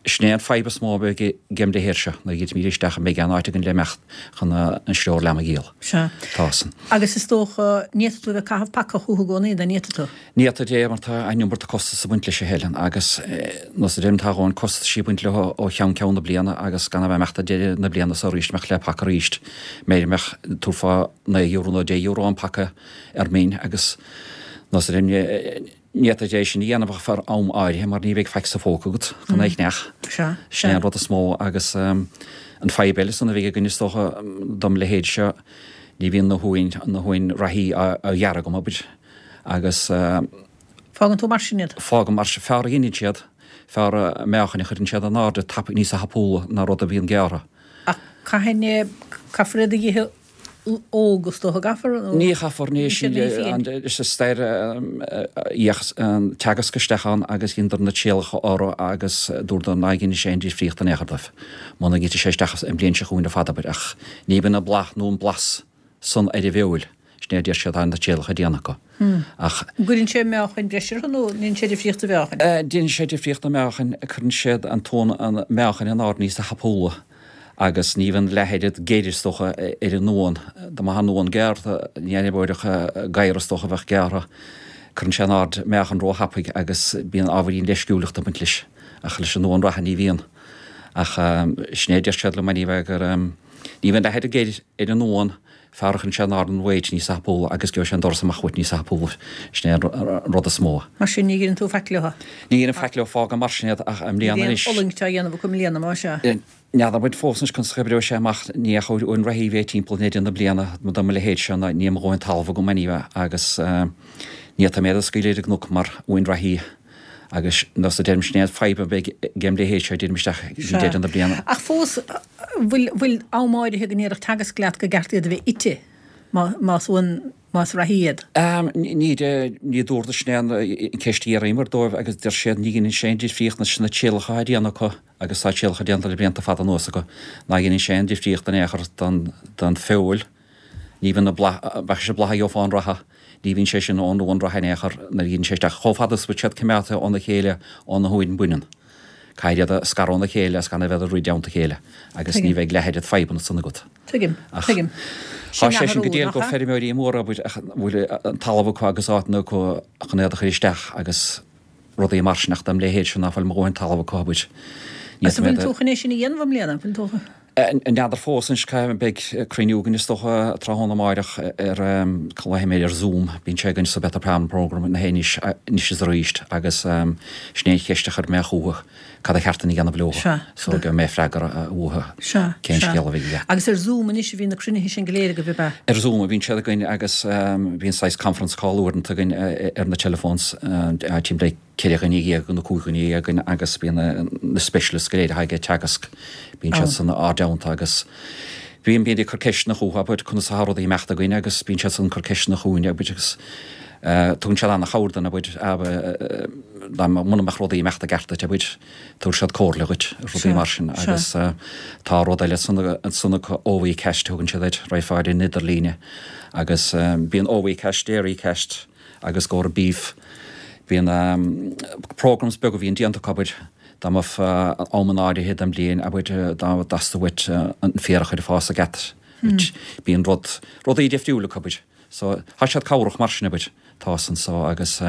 sin é an fadhb is mó a bheidh agem leithéid seo, nuair a gheibhimid isteach an mbeidh aon áit againn le imeacht chun an sriór leamh a dhíol. Sea. Tá san. Agus is dócha, ní fhéadfaidh tú a bheith ag caitheamh paca chucu i gcónaí, nó an bhféadfaidh tú? Ní fhéadfaidh é mar tá an iomarca costas ag baint leis a Helen agus nós a deirim tá a dhóthain costaisí ag baint leo ó cheann ceann na bliana agus gan a bheith imeacht ag deireadh na bliana so arís imeacht le paca arís b'fhéidir mbeadh tabharfá €9 nó €10 an paca ar min agus nós a deirim ní fhéadfaidh é sin a dhéanamh ach feadh am áirithe mar ní bheidh faic sa phóca agat chun é a cheannach. Sin é an rud is mó agus an fadhb eile san a bheidh againn is dócha dom leithéid seo ní bhíonn na huain na huain reathaí á ghearradh agam abair. Agus. Fágann tú mar sin iad? Fágaim mar sin. Fearr a dheineann siad, fearr a meáchain a chuireann siad in airde tapaidh, níosa thapúla ná rud a bhíonn gearrtha. Ach caithfidh, caithfear iad a dh'ithe óg is dócha, gcaithfear? Nó. Ní chaithfear, ní sin is a stair dheachas an teagasc isteach ann agus dheineadar na trialacha orthu agus dúradar ná dheineadh sé aon difríocht in aon chor dóibh muna ngitfeadh sé isteach an bhliain seo chugainn ar fad abair ach ní bhíonn an bláth nó an blas san ar an bhfeoil. Sin é a deir siad, tá na trialacha déanta acu. Ach. An gcuireann sé meáchain breise orthu nó an ndéanann sé difríocht do mheáchain? Déanann sé difríocht do mheáchain. Cuireann siad an t-uan, an meáchain in airde níosa thapúla agus ní bhíonn leath oiread geir is dócha ar an uan. Dá mbeadh an uan gearrtha, ní oibreodh gadhar is dócha a bheadh gearrtha. Cuireann sé in airde meáchan róthapaidh agus bíonn ábhairín leisciúlachta ag baint leis. Ach leis an uan reatha ní bhíonn. Ach sin é a deir siad liom anyway gur ní bhíonn leath oiread geir ar an uan Fearr a chuireann sé in airde an weight níos tapúla agus gheobhaidh sé an doras amach uait níos tapúla. Sin é an rud is mó. Mar sin, ní dheineann tú faic leo? Ní dheinim faic leo, fágaim mar sin iad ach i mbliana anois. Ní bhíonn fulaingt á dhéanamh acu i mbliana, más ea? N'fheadar muid fós anois conas a oibreoidh sé amach. Ní ach uain reathaí a bheidh timpeall i ndeireadh na bliana do mo leithéid seo ná níl mo dhóthain talamh agam anyway agus ní fhéadfaidh mé iad a scaoileadh ar an gcnoc mar uain reathaí. Agus nós a deirim sin é an fadhb a bheidh agem leithéid seo deirim isteach go dtí deireadh na bliana. Ach fós, bhfuil, bhfuil am áirithe go ndéarfadh Teagasc leat go gceart iad a bheith ite más uan, más reathaí iad? Ní, ní dúradar sin é an ceist a d'fhiafraíomar dóibh agus deir siad ní dheineann sé aon difríocht leis na trialacha atá déanta acu agus tá trialacha déanta le blianta fada anuas acu, ná dheineann sé aon difríocht in aon chor don, don feoil. Ní bhíonn an bláth, bheadh sé bláth a gheofá ón reatha, ní bhíonn sé sin ón uan reatha in aon chor nuair a dheineann sé isteach. Chomh fada is a bhfuil siad coimeádta óna chéile ó na huain baineann. Caithfidh iad a scaradh óna chéile agus gan a bheith ag rith i dteannta a chéile agus ní bheidh leath oiread fadhbanna san agat. Tuigim, tuigim. Tá sé sin go diail do feirmeoirí móra abair a bhfuil an talamh acu agus áiteanna acu chun iad a chur isteach agus rudaí mar sin ach dom leithéid seo ná fuil mo dhóthain talamh acu abair. Ní Agus an bhfuil tú chun é sin a dhéanamh i mbliana? Bhfuil tú. N'fheadar fós anois cá mbeidh cruinniú againn is dócha tráthnóna amáireach ar glaofaidh mé ar Zoom, bíonn sé againn sa Better Farming Programme na anois anois is arís agus sin é an cheist a chuir mé chucu cad a cheart dúinn a dhéanamh leo so gheobhaidh mé freagra uathu cén scéal a bheidh aige. Agus ar Zoom anois a bhíonn na cruinnithe sin go léir agaibh ab ea? Ar Zoom a bhíonn siad againn agus bíonn saghas conference call uaireanta againn ar na telephones timpeall 14 dhuine nó 15 dhuine againn agus bíonn na specialists go léir atá ag Teagasc, bíonn siad san ár dteannta agus bíonn, bíonn ag cur ceisteanna chucu, abair, conas atá rudaí ag imeacht againn agus bíonn siad san ag cur ceisteanna chugainn, abair, agus tugann siad an-chabhair dúinn, abair, dá muna mbeadh rudaí ag imeacht i gceart duit, abair, tabharfaidh siad comhairle dhuit, rudaí mar sin agus tá rud eile san, ansan acu, OviCast a thugann siad air, raghfá ar an idirlíne agus bíonn OviCast, DairyCast, agus go beef. Bíonn programs beaga a bhíonn déanta acu, abair, dá mbeadh amanna áirithe den bhliain, abair, dá dteastódh uait an féar a chur ag fás i gceart, bíonn rud, rudaí difriúla acu, abair. So, tá siad cabhrach mar sin, abair, tá san so agus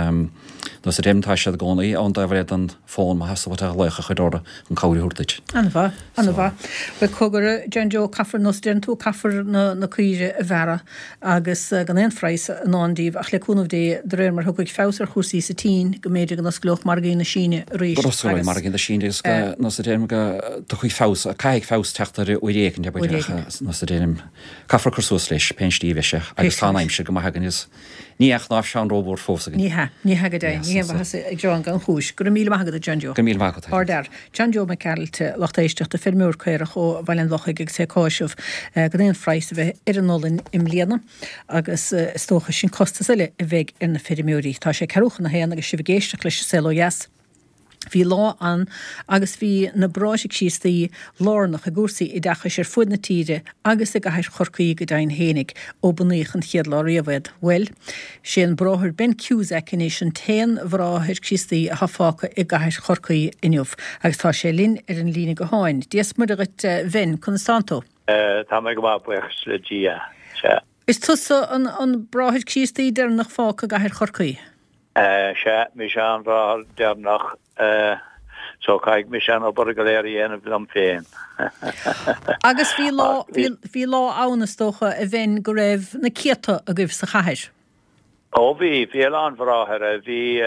nós a deirim, tá siad i gcónaí ón dtaobh eile den fón má theastaíonn uait glaoch a chur orthu chun cabhair a thabhairt duit. An-mhaith, an-mhaith. Bhuel, cogar, a John Joe, caithfear, nós a deireann tú, caithfear na, na caoire a bhearradh agus gan aon phraghas i ndán díobh ach le cúnamh Dé, de réir mar a thiocfaidh feabhas ar chúrsaí sa tSín, go mb'fhéidir go n-osclódh margaí na Síne arís Go n-osclóidh agus. margaí na Síne agus go, nós a deirim, go dtiocfaidh feabhas, caithfidh feabhas teacht air uair éicint, abair, Uair ach éicint. nós a deirim, caithfear cur suas leis, pén slí a bheidh sé, agus tá an aimsir go maith againn agus ní aon chnáimh seán rómhór fós againn. Ní hea, ní hea go deimhin, ní haon mhaitheas ag gearán gan chúis. Go raibh míle maith agat, a John Joe. Go raibh míle maith agat, a Ardfhear. John Joe Mac Gearailt, lucht éisteachta, feirmeoir caorach ó Bhaile an Lochaigh agus é ag áiseamh gan aon phraghas a bheith ar an olainn i mbliana agus is dócha sin costas eile a bheidh ar na feirmeoirí. Tá sé ceathrú chun a haon agus sibh ag éisteacht leis An Saol Ó Dheas. Bhí lá ann agus bhí na Bráithre Críostaí lárnach i gcúrsaí oideachais ar fuaid na tíre agus i gcathair Chorcaí go deimhin fhéinig, ó bunaíodh an chéad lá riamh iad. Bhuel, sé an Bráthair Ben Cusack anois an t-aon Bhráthair Críostaí atá fágtha i gcathair Chorcaí inniu agus tá sé linn ar an líne gutháin. Dia 's Muire dhuit, a Bhen, conas tánn tú? Tá mé go maith, buíochas le Dia. Sea. Is tusa an Bráthair Críostaí deireanach fágtha i gcathair Chorcaí? Sea, mise an bráthair deireanach, so caithfidh mise an obair go léir a dhéanamh liom féin. Agus bhí lá, bhí lá ann, is dócha, a Bhen, go raibh na céadta agaibh sa chathair. Ó bhí, bhí a lán bhráithre, bhí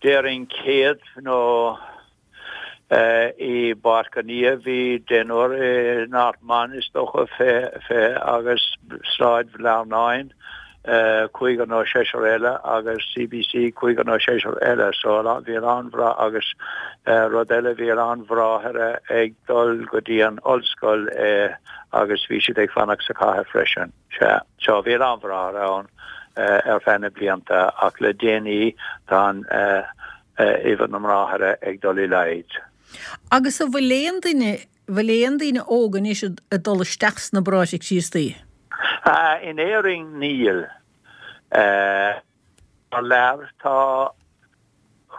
déarfainn 100 nó I bPáirc an Fhia bhí deichniúr, i nArd Main is dócha 20 agus Sráid Bhlearnáin cúigear nó seisear eile agus CBC cúigear nó seisear eile. So bhí a lán bhrá agus rud eile bhí a lán bhráithre ag dul go dtí an ollscoil agus bhí siad ag fanacht sa chathair freisin. Sea, so bhí a lán bhráithre ann ar feadh na blianta ach le déanaí tá an uimhir na mbráithre ag dul i laghad. Agus an bhfuil aon duine, bhfuil aon daoine óga anois ag dul isteach sna Bráithre Críostaí? In Éirinn níl. Thar lear tá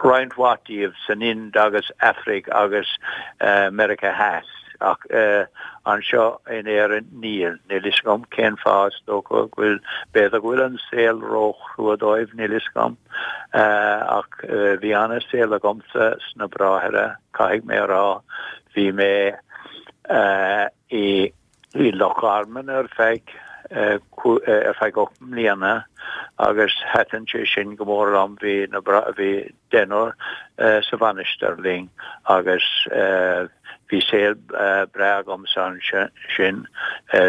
roinnt mhaith díobh san Ind agus Afraic agus Meiriceá Theas ach anseo in Éirinn níl. Níl fhios agam cén fáth, is dócha go bhfuil, b'fhéidir go bhfuil an saol ró-chrua dóibh, níl fhios agam. Ach bhí ana-saol agamsa sna Bráithre, caithfidh mé a rá. Bhí mé i Loch Garman ar feadh ar feadh 8 mbliana agus thaitin sé sin go mór liom. Bhí na bhí deichniúr sa mhainistir linn agus bhí saol breá agamsa ansin.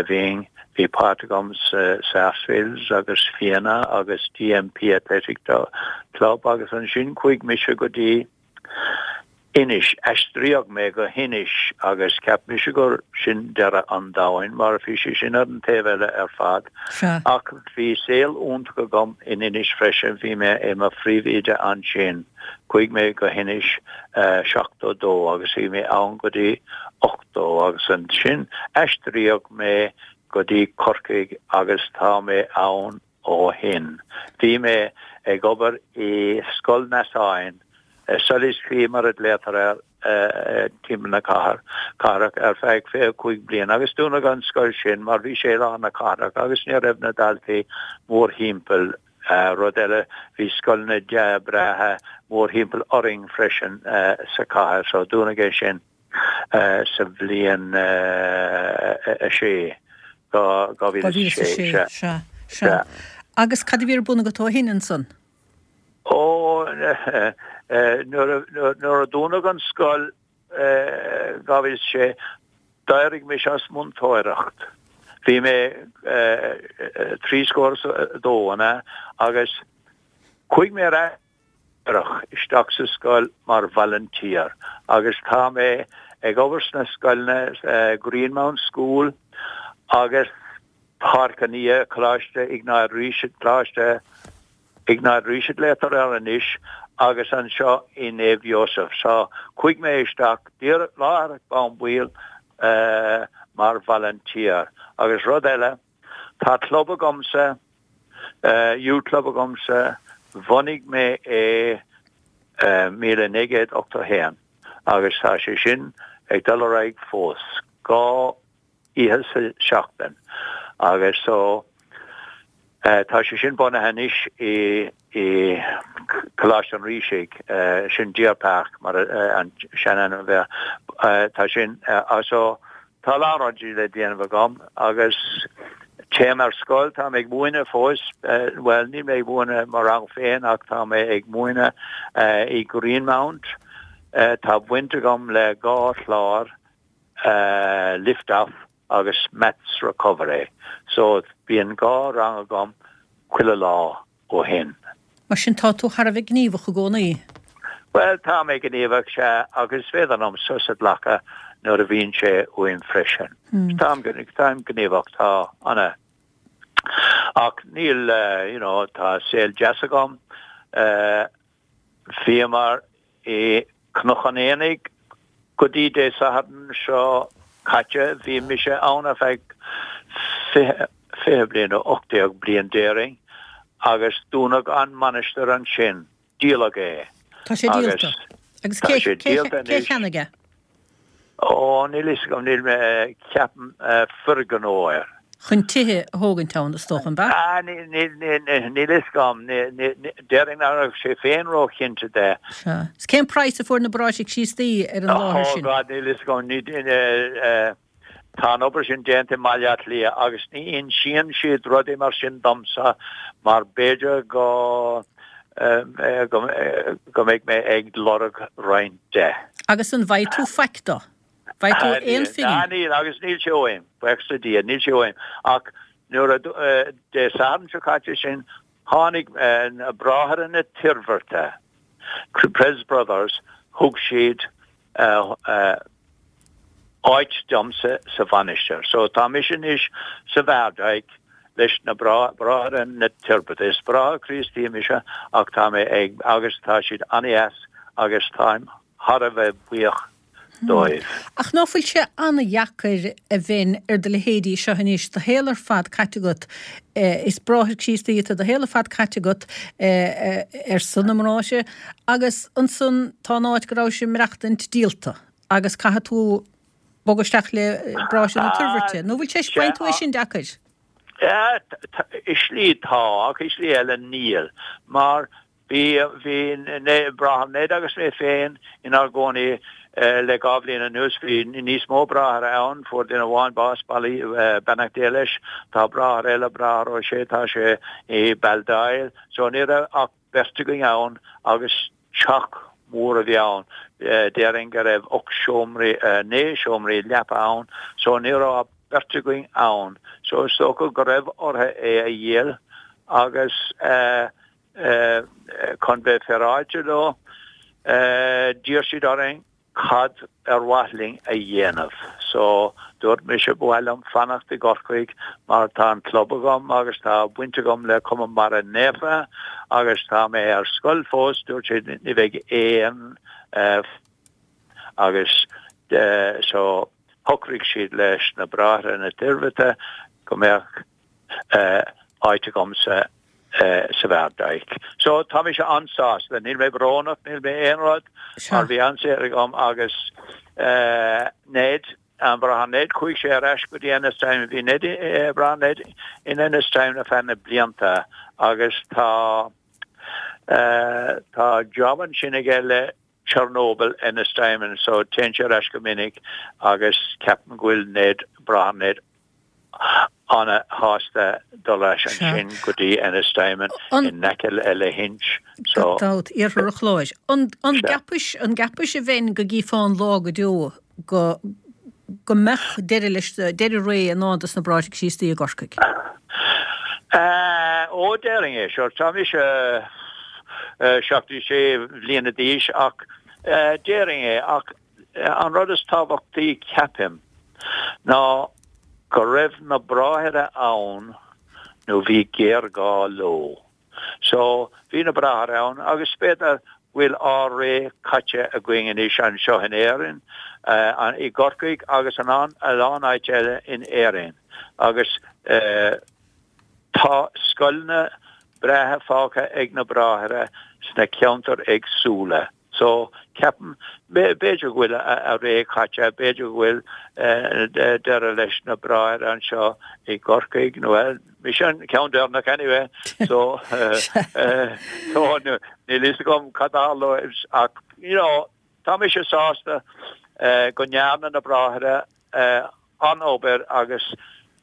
Bhínn, bhí páirt agam sa Sarsfields agus Fianna agus DMP Athletic Club agus ansin chuaigh mise go dtí Inis, aistríodh mé go hInis agus cheap mise gur sin deireadh an domhain mar bhí sé sin ar an taobh eile ar fad. Ach bhí saol iontach agam in Inis freisin, bhí mé i mo phríomhoide ansin. Chuaigh mé go hInis 72 agus bhí mé ann go dtí 80 agus ansin aistríodh mé go dtí Corcaigh agus tá mé ann ó shin. Bhí mé ag obair i Scoil Neasáin, Sully's Quay mar a ghlaotar air timpeall na cathrach, ar feadh 25 bliain agus dúnadh an scoil sin mar bhí sé i lár na cathrach agus ní raibh na daltaí mórthimpeall. Rud eile, bhí scoileanna breátha mórthimpeall orainn freisin sa chathair so dúnadh é sin. sa bhliain 6, 2006, sea. Sea, sea. Agus cad a bhí ar bun agat ó shin ansan? Ó, nuair a dúnadh an scoil 2006, d'éirigh mise as múinteoireacht. Bhí mé 32, an ea? Agus chuaigh mé ar ais. isteach sa scoil mar volunteer agus tá mé ag obair sna scoileanna Greenmount School agus Páirc an Fhia, Coláiste Iognáid Rís, Coláiste Iognáid Rís a ghlaotar air anois agus anseo i Naomh Iósaf. So chuaigh mé isteach díreach láithreach bonn baill mar volunteer agus rud eile, Tá club agamsa, youth club agamsa, bhunaigh mé é 1981 agus tá sé sin ag dul ar aghaidh fós, 2 oíche sa seachtain agus so tá sé sin bunaithe anois i i Coláiste an Rísigh, sin Deer Park mar an seanainm a bhí air, tá sin so Tá a lán rudaí le déanamh agam agus téim ar scoil, tá mé ag múineadh fós, bhuel níl mé ag múineadh mo rang féin ach tá mé ag múineadh i Greenmount. Tá baint agam le 2 chlár, Lift Off agus Maths Recovery, so bíonn 2 rang agam chuile lá. ó shin. Mar sin tá tú thar a bheith gníomhach i gcónaí. Bhuel, tá mé gníomhach, sea, agus is féidir liom sos a ghlacadh nuair a bhíonn sé uaim freisin. Táim, táim gníomhach, tá, ana. Ach níl, you know, tá saol deas agam. Bhíomar i. Cnoc an Aonaigh go dtí Dé Sathairn seo caite, bhí mise ann ar feadh 20, 20 bliain nó 18 bliain déarfainn agus dúnadh an mainistir ansin, díoladh é. Tá sé díolta. Agus Tá cé, sé cé, díolta cé anois. cheannaigh é? Ó, níl fhios agam, níl mé, ceapaim foirgneoir. Chun tithe a thógaint ann, is dócha, an b'ea? Ah, níl, níl, níl, níl fhios agam, déarfainn nach raibh sé féin róchinnte de. Sea. Is cén praghas a fuair na Bráithre Críostaí ar an láthair Oh sin? God, níl fhios agam, ní, tá an obair sin déanta i mBaile Átha Cliath agus ní insíonn siad rudaí mar sin domsa mar b'fhéidir go, go, go mbeidh mé ag lorg roinnt de. Agus an bhfaighidh tú faic dó? Bhfaighidh tú aon phingin? Níl, agus níl sé uaim, buíochas le Dia, níl sé uaim. Ach nuair a, Dé Sathairn seo caite sin, tháinig na Bráithre na Toirbhirte, Pres Brothers, thug siad áit domsa sa mhainistir. So tá mise anois sa Mheárdaic leis na Bráithre na Toirbhirte. Is Bráthair Críostaí mise ach tá mé ag, agus tá siad an-deas agus táim thar a bheith buíoch dóibh. Ach ná fuil sé an-dheacair a bheinn ar do leithéidí seo anois, do shaol ar fad caite agat, is bráthair Críostaí tú, do shaol ar fad caite agat ar son na mbráithre agus ansan tá an áit go rabhais ag maireachtaint díolta agus caithfidh tú bogadh isteach le bráithre na Toirbhirte. Nó bhfuil sé, faigheann tú é sin deacair? I slí tá, ach i slí eile níl, mar Bhí, bhí Bráthair Ned agus mé féin inár gcónaí le 2 bhliain anuas. Bhí níos mó bráithre ann, fuair duine amháin bás, beannacht Dé leis. Tá bráthair eile, Bráthair Ó Sé, tá sé i Baldoyle. So ní raibh ach beirt againn ann agus teach mór a bhí ann. Déarfainn go raibh 8 seomraí, 9 seomraí leapa ann, so ní raibh ach beirt againn ann. So is dócha go raibh orthu é a dhíol agus eh, Chun bheith féaráilte leo, d'iarr siad orainn cad ar mhaith linn a dhéanamh. So, dúirt mise, ba mhaith liom fanacht i gCorcaigh mar tá an club agam agus tá baint agam le Cumann Mara Naofa agus tá mé ar scoil fós. Dúirt siad, ní bheidh aon agus so shocraigh siad leis na Bráithre na Toirbhirte go mbeadh áit agamsa sa Mheárdaic. So tá mise an-sásta, níl mé brónach, níl mé aon rud mar bhí an-saol agam agus Ned, an Bráthair Ned, chuaigh sé ar ais go dtí Ennistymon, bhí Ned, Bráthair Ned in Ennistymon ar feadh na blianta agus tá tá job ansin aige le Chernobyl, Ennistymon, so téann sé ar ais go minic agus ceapaim go bhfuil Ned, Bráthair Ned, ana-shásta dul ar ais ansin go dtí Ennistymon in aice le Lahinch. So. Gan dabht, iarthar an Chláir. An gceapais, an gceapais a bheinn go gcífeá an lá go deo go go mbeadh deireadh leis, deireadh ré i ndán dos na Bráithre Críostaí i gCorcaigh? Ó, déarfainn é, sure. Tá mise 76 bhliana d'aois ach déarfainn é ach An rud is tábhachtaí, ceapaim, ná go raibh na bráithre ann nó bhí géarghá leo. So, bhí na bráithre ann agus b'fhéidir go bhfuil ár ré caite againn anois anseo in Éirinn, i gCorcaigh agus in a lán áit eile in Éirinn agus tá scoileanna breátha fágtha ag na bráithre sna ceantair éagsúla. So, ceapaim, b'fhéidir go bhfuil a ré caite, b'fhéidir go bhfuil deireadh leis na bráithre anseo i gCorcaigh, nó bhuel, mise an ceann deireanach anyway, so, so níl fhios agam cad a tharlóidh ach, you know, tá mise sásta go ndearna na bráithre an-obair agus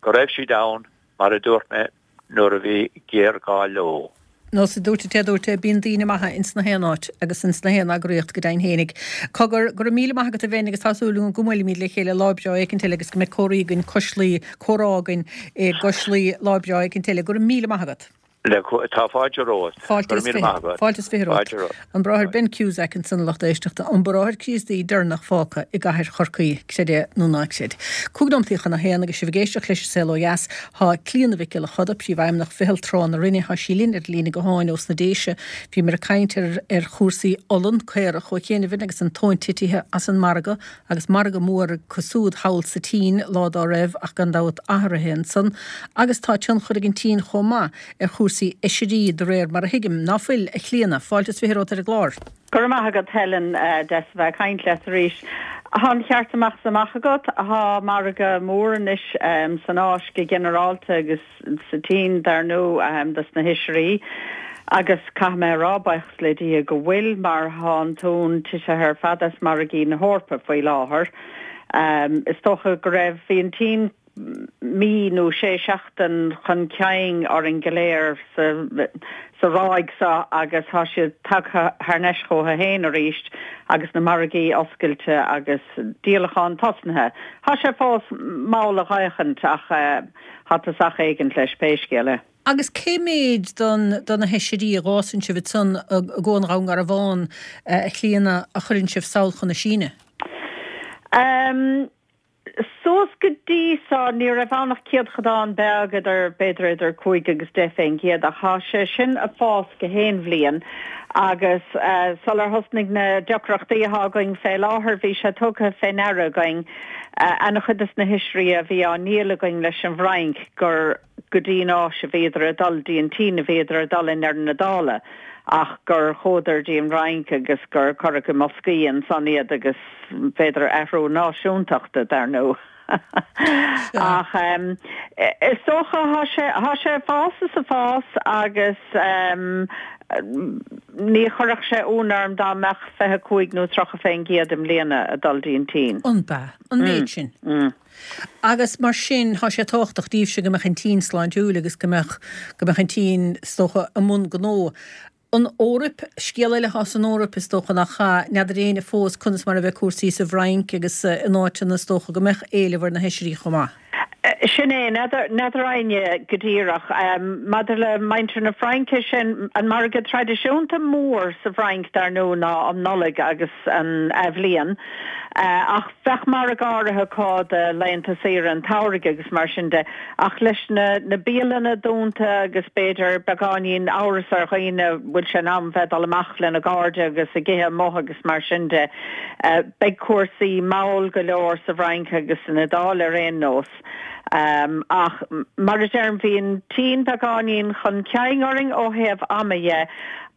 go raibh siad ann, mar a dúirt mé, nuair a bhí géarghá leo. Nós a dúirt an té a dúirt é, bíonn daoine maithe ins na haon áit agus ins na haon eagraíocht go deimhin fhéinig. Cogar, go raibh míle maith agat a Bheinn agus tá súil agam go mbuailfimid le chéile lá breá éicint eile agus go mbeidh comhraí againn cois Laoi, comhrá againn i gcois Laoi lá breá éicint eile. Go raibh míle maith agat. Le, tá fáilte romhat. Fáilte is 20. Fáilte is 20 romhat. An Bráthair Ben Cusack ansan a lucht éisteachta, an Bráthair Críostaí deireanach fágtha i gcathair Chorcaí, creid é nó ná creid. 5 nóimeataí chun a haon agus sibh ag éisteacht leis an Saol Ó Dheas, tá Clíona Mhic Giolla Choda, Príomhfheidhmeannach Mheitheal Trá na Rinne, tá sí linn ar an líne gutháin ós na Déise. Bhíomar ag caint ar ar chúrsaí olann, caorach ó chianaibh agus an tóin titithe as an margadh agus margadh mór acu siúd thall sa tSín lá dá raibh ach gan dabht athruithe ansan agus tá tionchar ag an tSín chomh maith ar chúrsaí oisrí de réir mar a thuigim, ná fuil, a Chlíona? Fáilte is 20 romhat ar an gclár. Go raibh maith agat Helen, deas a bheith ag caint leat arís. Tá an ceart amach is amach agat, tá margadh mór anois san Áis go ginearálta agus sa tSín dar ndóigh dos na hoisrí agus caithfidh mé a rá, buíochas le Dia go bhfuil mar tá an t-uan titithe ar fad as margaí na hEorpa faoi láthair. Is dócha go raibh, bhí an tSín mí nó sé seachtain chun cinn orainn go léir sa sa ráig seo agus tá siad tagtha thar n-ais chucu féin arís agus na margaí oscailte agus díolachán tosnaithe. Tá sé fós mall a dh'fhéachaint ach Tá tosach éigint leis pé scéal é. Agus cé méid don do na hoisrí a dh'fhásann sibh ansan i gCo an Dhún Garbhán, a Chlíona, a chuireann sibh sall chun na Síne? Em, suas go dtí so ní raibh ann ach céadchodán beag idir, b'fhéidir idir 5 agus 10 fén gcéad ach thá sé sin a' fás go haon bhliain agus sular thosnaigh na deacrachtaí athá againn fé láthair bhí sé tugtha fé ndeara againn Ana-chuid dos na hoisrí a bhí á ndíol againn leis an bhFrainc gur go dtí an Áis a bhíodar ag dul, dtí an tSín a bhíodar ag dul i ndeireadh na dála ach gur chuadar dtí an Fhrainc agus gur cuireadh i mboscaí ansan iad agus b'fhéidir athrú náisiúntachta dar ndóigh. Ach is dócha thá sé, thá sé ag fás is ag fás agus Ní chuirfeadh sé ionadh orm dá mbeadh 25 nó 30 fén gcéad i mbliana ag dul dtí an tSín. An b'ea? An méid sin? Agus mar sin, tá sé tábhachtach daoibhse go mbeadh an tSín sláintiúil agus go mbeadh, go mbeadh an tSín, is dócha, i mbun gnó. An Eoraip, scéal eile atá san Eoraip, is dócha, nach ea? N'fheadar éinne fós conas mar a bheidh cúrsaí sa bhFrainc agus in áiteanna, is dócha, go mbeadh éileamh ar na hoisrí chomh maith. Sin é, n'fheadar éinne go díreach. Maidir le muintir na Fraince, sin an margadh traidisiúnta mór sa bhFrainc dar ndóigh ná um Nollaig agus an Athbhliain. Ach bheadh margadh áirithe acu do laethanta saoire an tsamhraidh agus mar sin de. Ach leis na na bialanna dúnta agus b'fhéidir beagáinín amhras ar dhaoine bhfuil sé in am bheith ag dul amach lena gcairde agus ag ithe amuigh agus mar sin de, Beidh cúrsaí mall go leor sa bhFrainc agus san Iodáil ar aon nós. Ach mar a deirim, bhí an tSín beagáinín chun cinn orainn ó thaobh ama dhe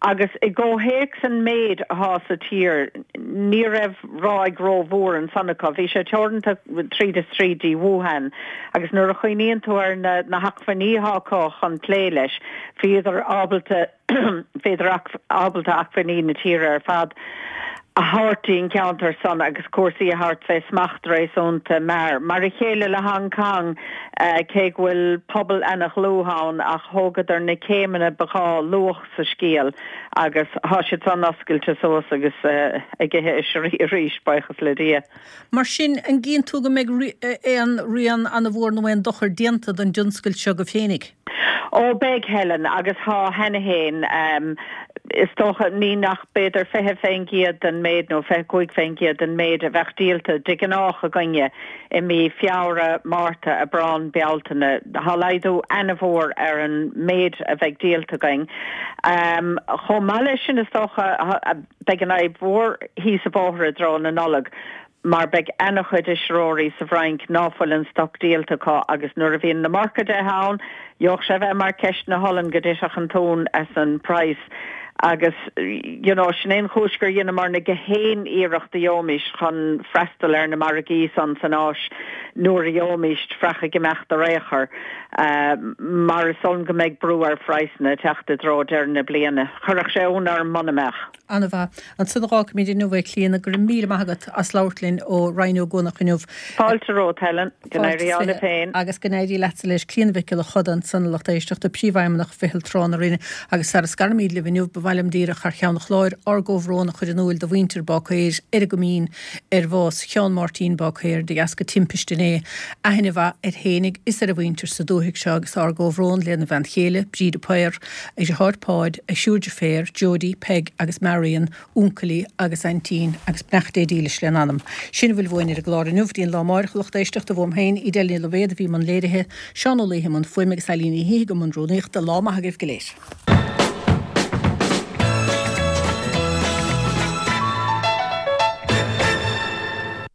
agus i gcomhthéacs an méid athá sa tír, ní raibh ráig rómhór ansan acu. Bhí sé teoranta tríd is tríd dtí Wuhan agus nuair a chuimhníonn tú ar na hacmhainní athá acu chun plé leis, bhíodar ábalta bhíodar ábalta acmhainní na tíre ar fad a thabhairt dtí an ceantar san agus cúrsaí a thabhairt fé smacht réasúnta mear. Mar a chéile le Hong Kong, cé go bhfuil pobal ana-dhlúth ann ach thógadar na céimeanna ba ghá luath sa scéal agus thá siad san oscailte suas agus ag ithe oisrí arís, buíochas le Dia. Mar sin, an gcíonn tú go mbeidh aon rian ana-mhór nó aon dochar déanta don dtionscal seo agaibh féinig? Ó, beidh, Helen, agus thá cheana fhéin. Is dócha, ní nach b'fhéidir 20% den méid nó 25% den méid a bheadh díolta de ghnách againne i mí Feabhra, Márta, Aibreán, Bealtaine. Thá laghdú ana-mhór ar an méid a bheidh díolta againn. Chomh maith leis sin, is dócha, Beidh an fhadhb mhór thíos an bóthar i dtreo na Nollag mar beidh ana-chuid oisreoirí sa bhFrainc ná fuil an stoc díolta acu agus nuair a bhíonn an iomarca de ann, gheobhadh sé a bheith mar ceist na holann go dtitfeadh an t-uan as an praghas agus you know sin é an chúis gur dheineamarna gach aon iarracht a gheobhaimis chun freastal ar na margaí san san Áis nuair a gheobhaimis fraoch ag imeacht ar aon chor mar is dóigh liom go mbeidh brú ar phraghsanna ag teacht i dtreo deireadh na bliana. Chuirfeadh sé ionadh orm muna mbeadh. An-mhaith. Ansan a dh'fhágfaimid inniu é, Clíona. Go raibh míle maith agat as labhairt linn ó Rinn Ó gCuanach inniu. Fáilte romhat, Helen. Go n-éirí ádh libh féin. Agus go n-éirí leatsa leis. Clíona Mhic Giolla Choda ansan, a lucht éisteachta, Príomhfheidhmeannach Mheitheal Trá na Rinne. Agus sara scarimid libh inniu, ba mhaith. mhaith liom díreach thar cheann an chláir ár gcomhbhrón a chur in úil do mhuintir Bácaeir ar an gCoimín ar bhás Sheán Máirtín Bácaeir de dheasca timpiste inné. Aithne mhaith air fhéinig is ar a mhuintir sa dúthaigh seo agus ár gcomhbhrón lena bhean chéile, Bríd de Paor, a dheartháir Páid, a thriúr deirféar, Jody, Peig agus Marion, uncailí agus aintín agus beannacht Dé dílis lena anam. Sin a bhfuil uainn ar an gclár inniu. Go dtí an lá amáireach a lucht éisteachta, uaim féin, Edel Ní Loibhéad a bhí i mbun léirithe, Seán Ó Laoithe i mbun fuaime agus Eilín Ní Shíthigh i mbun rúnaíochta. Lá maith agaibh go léir.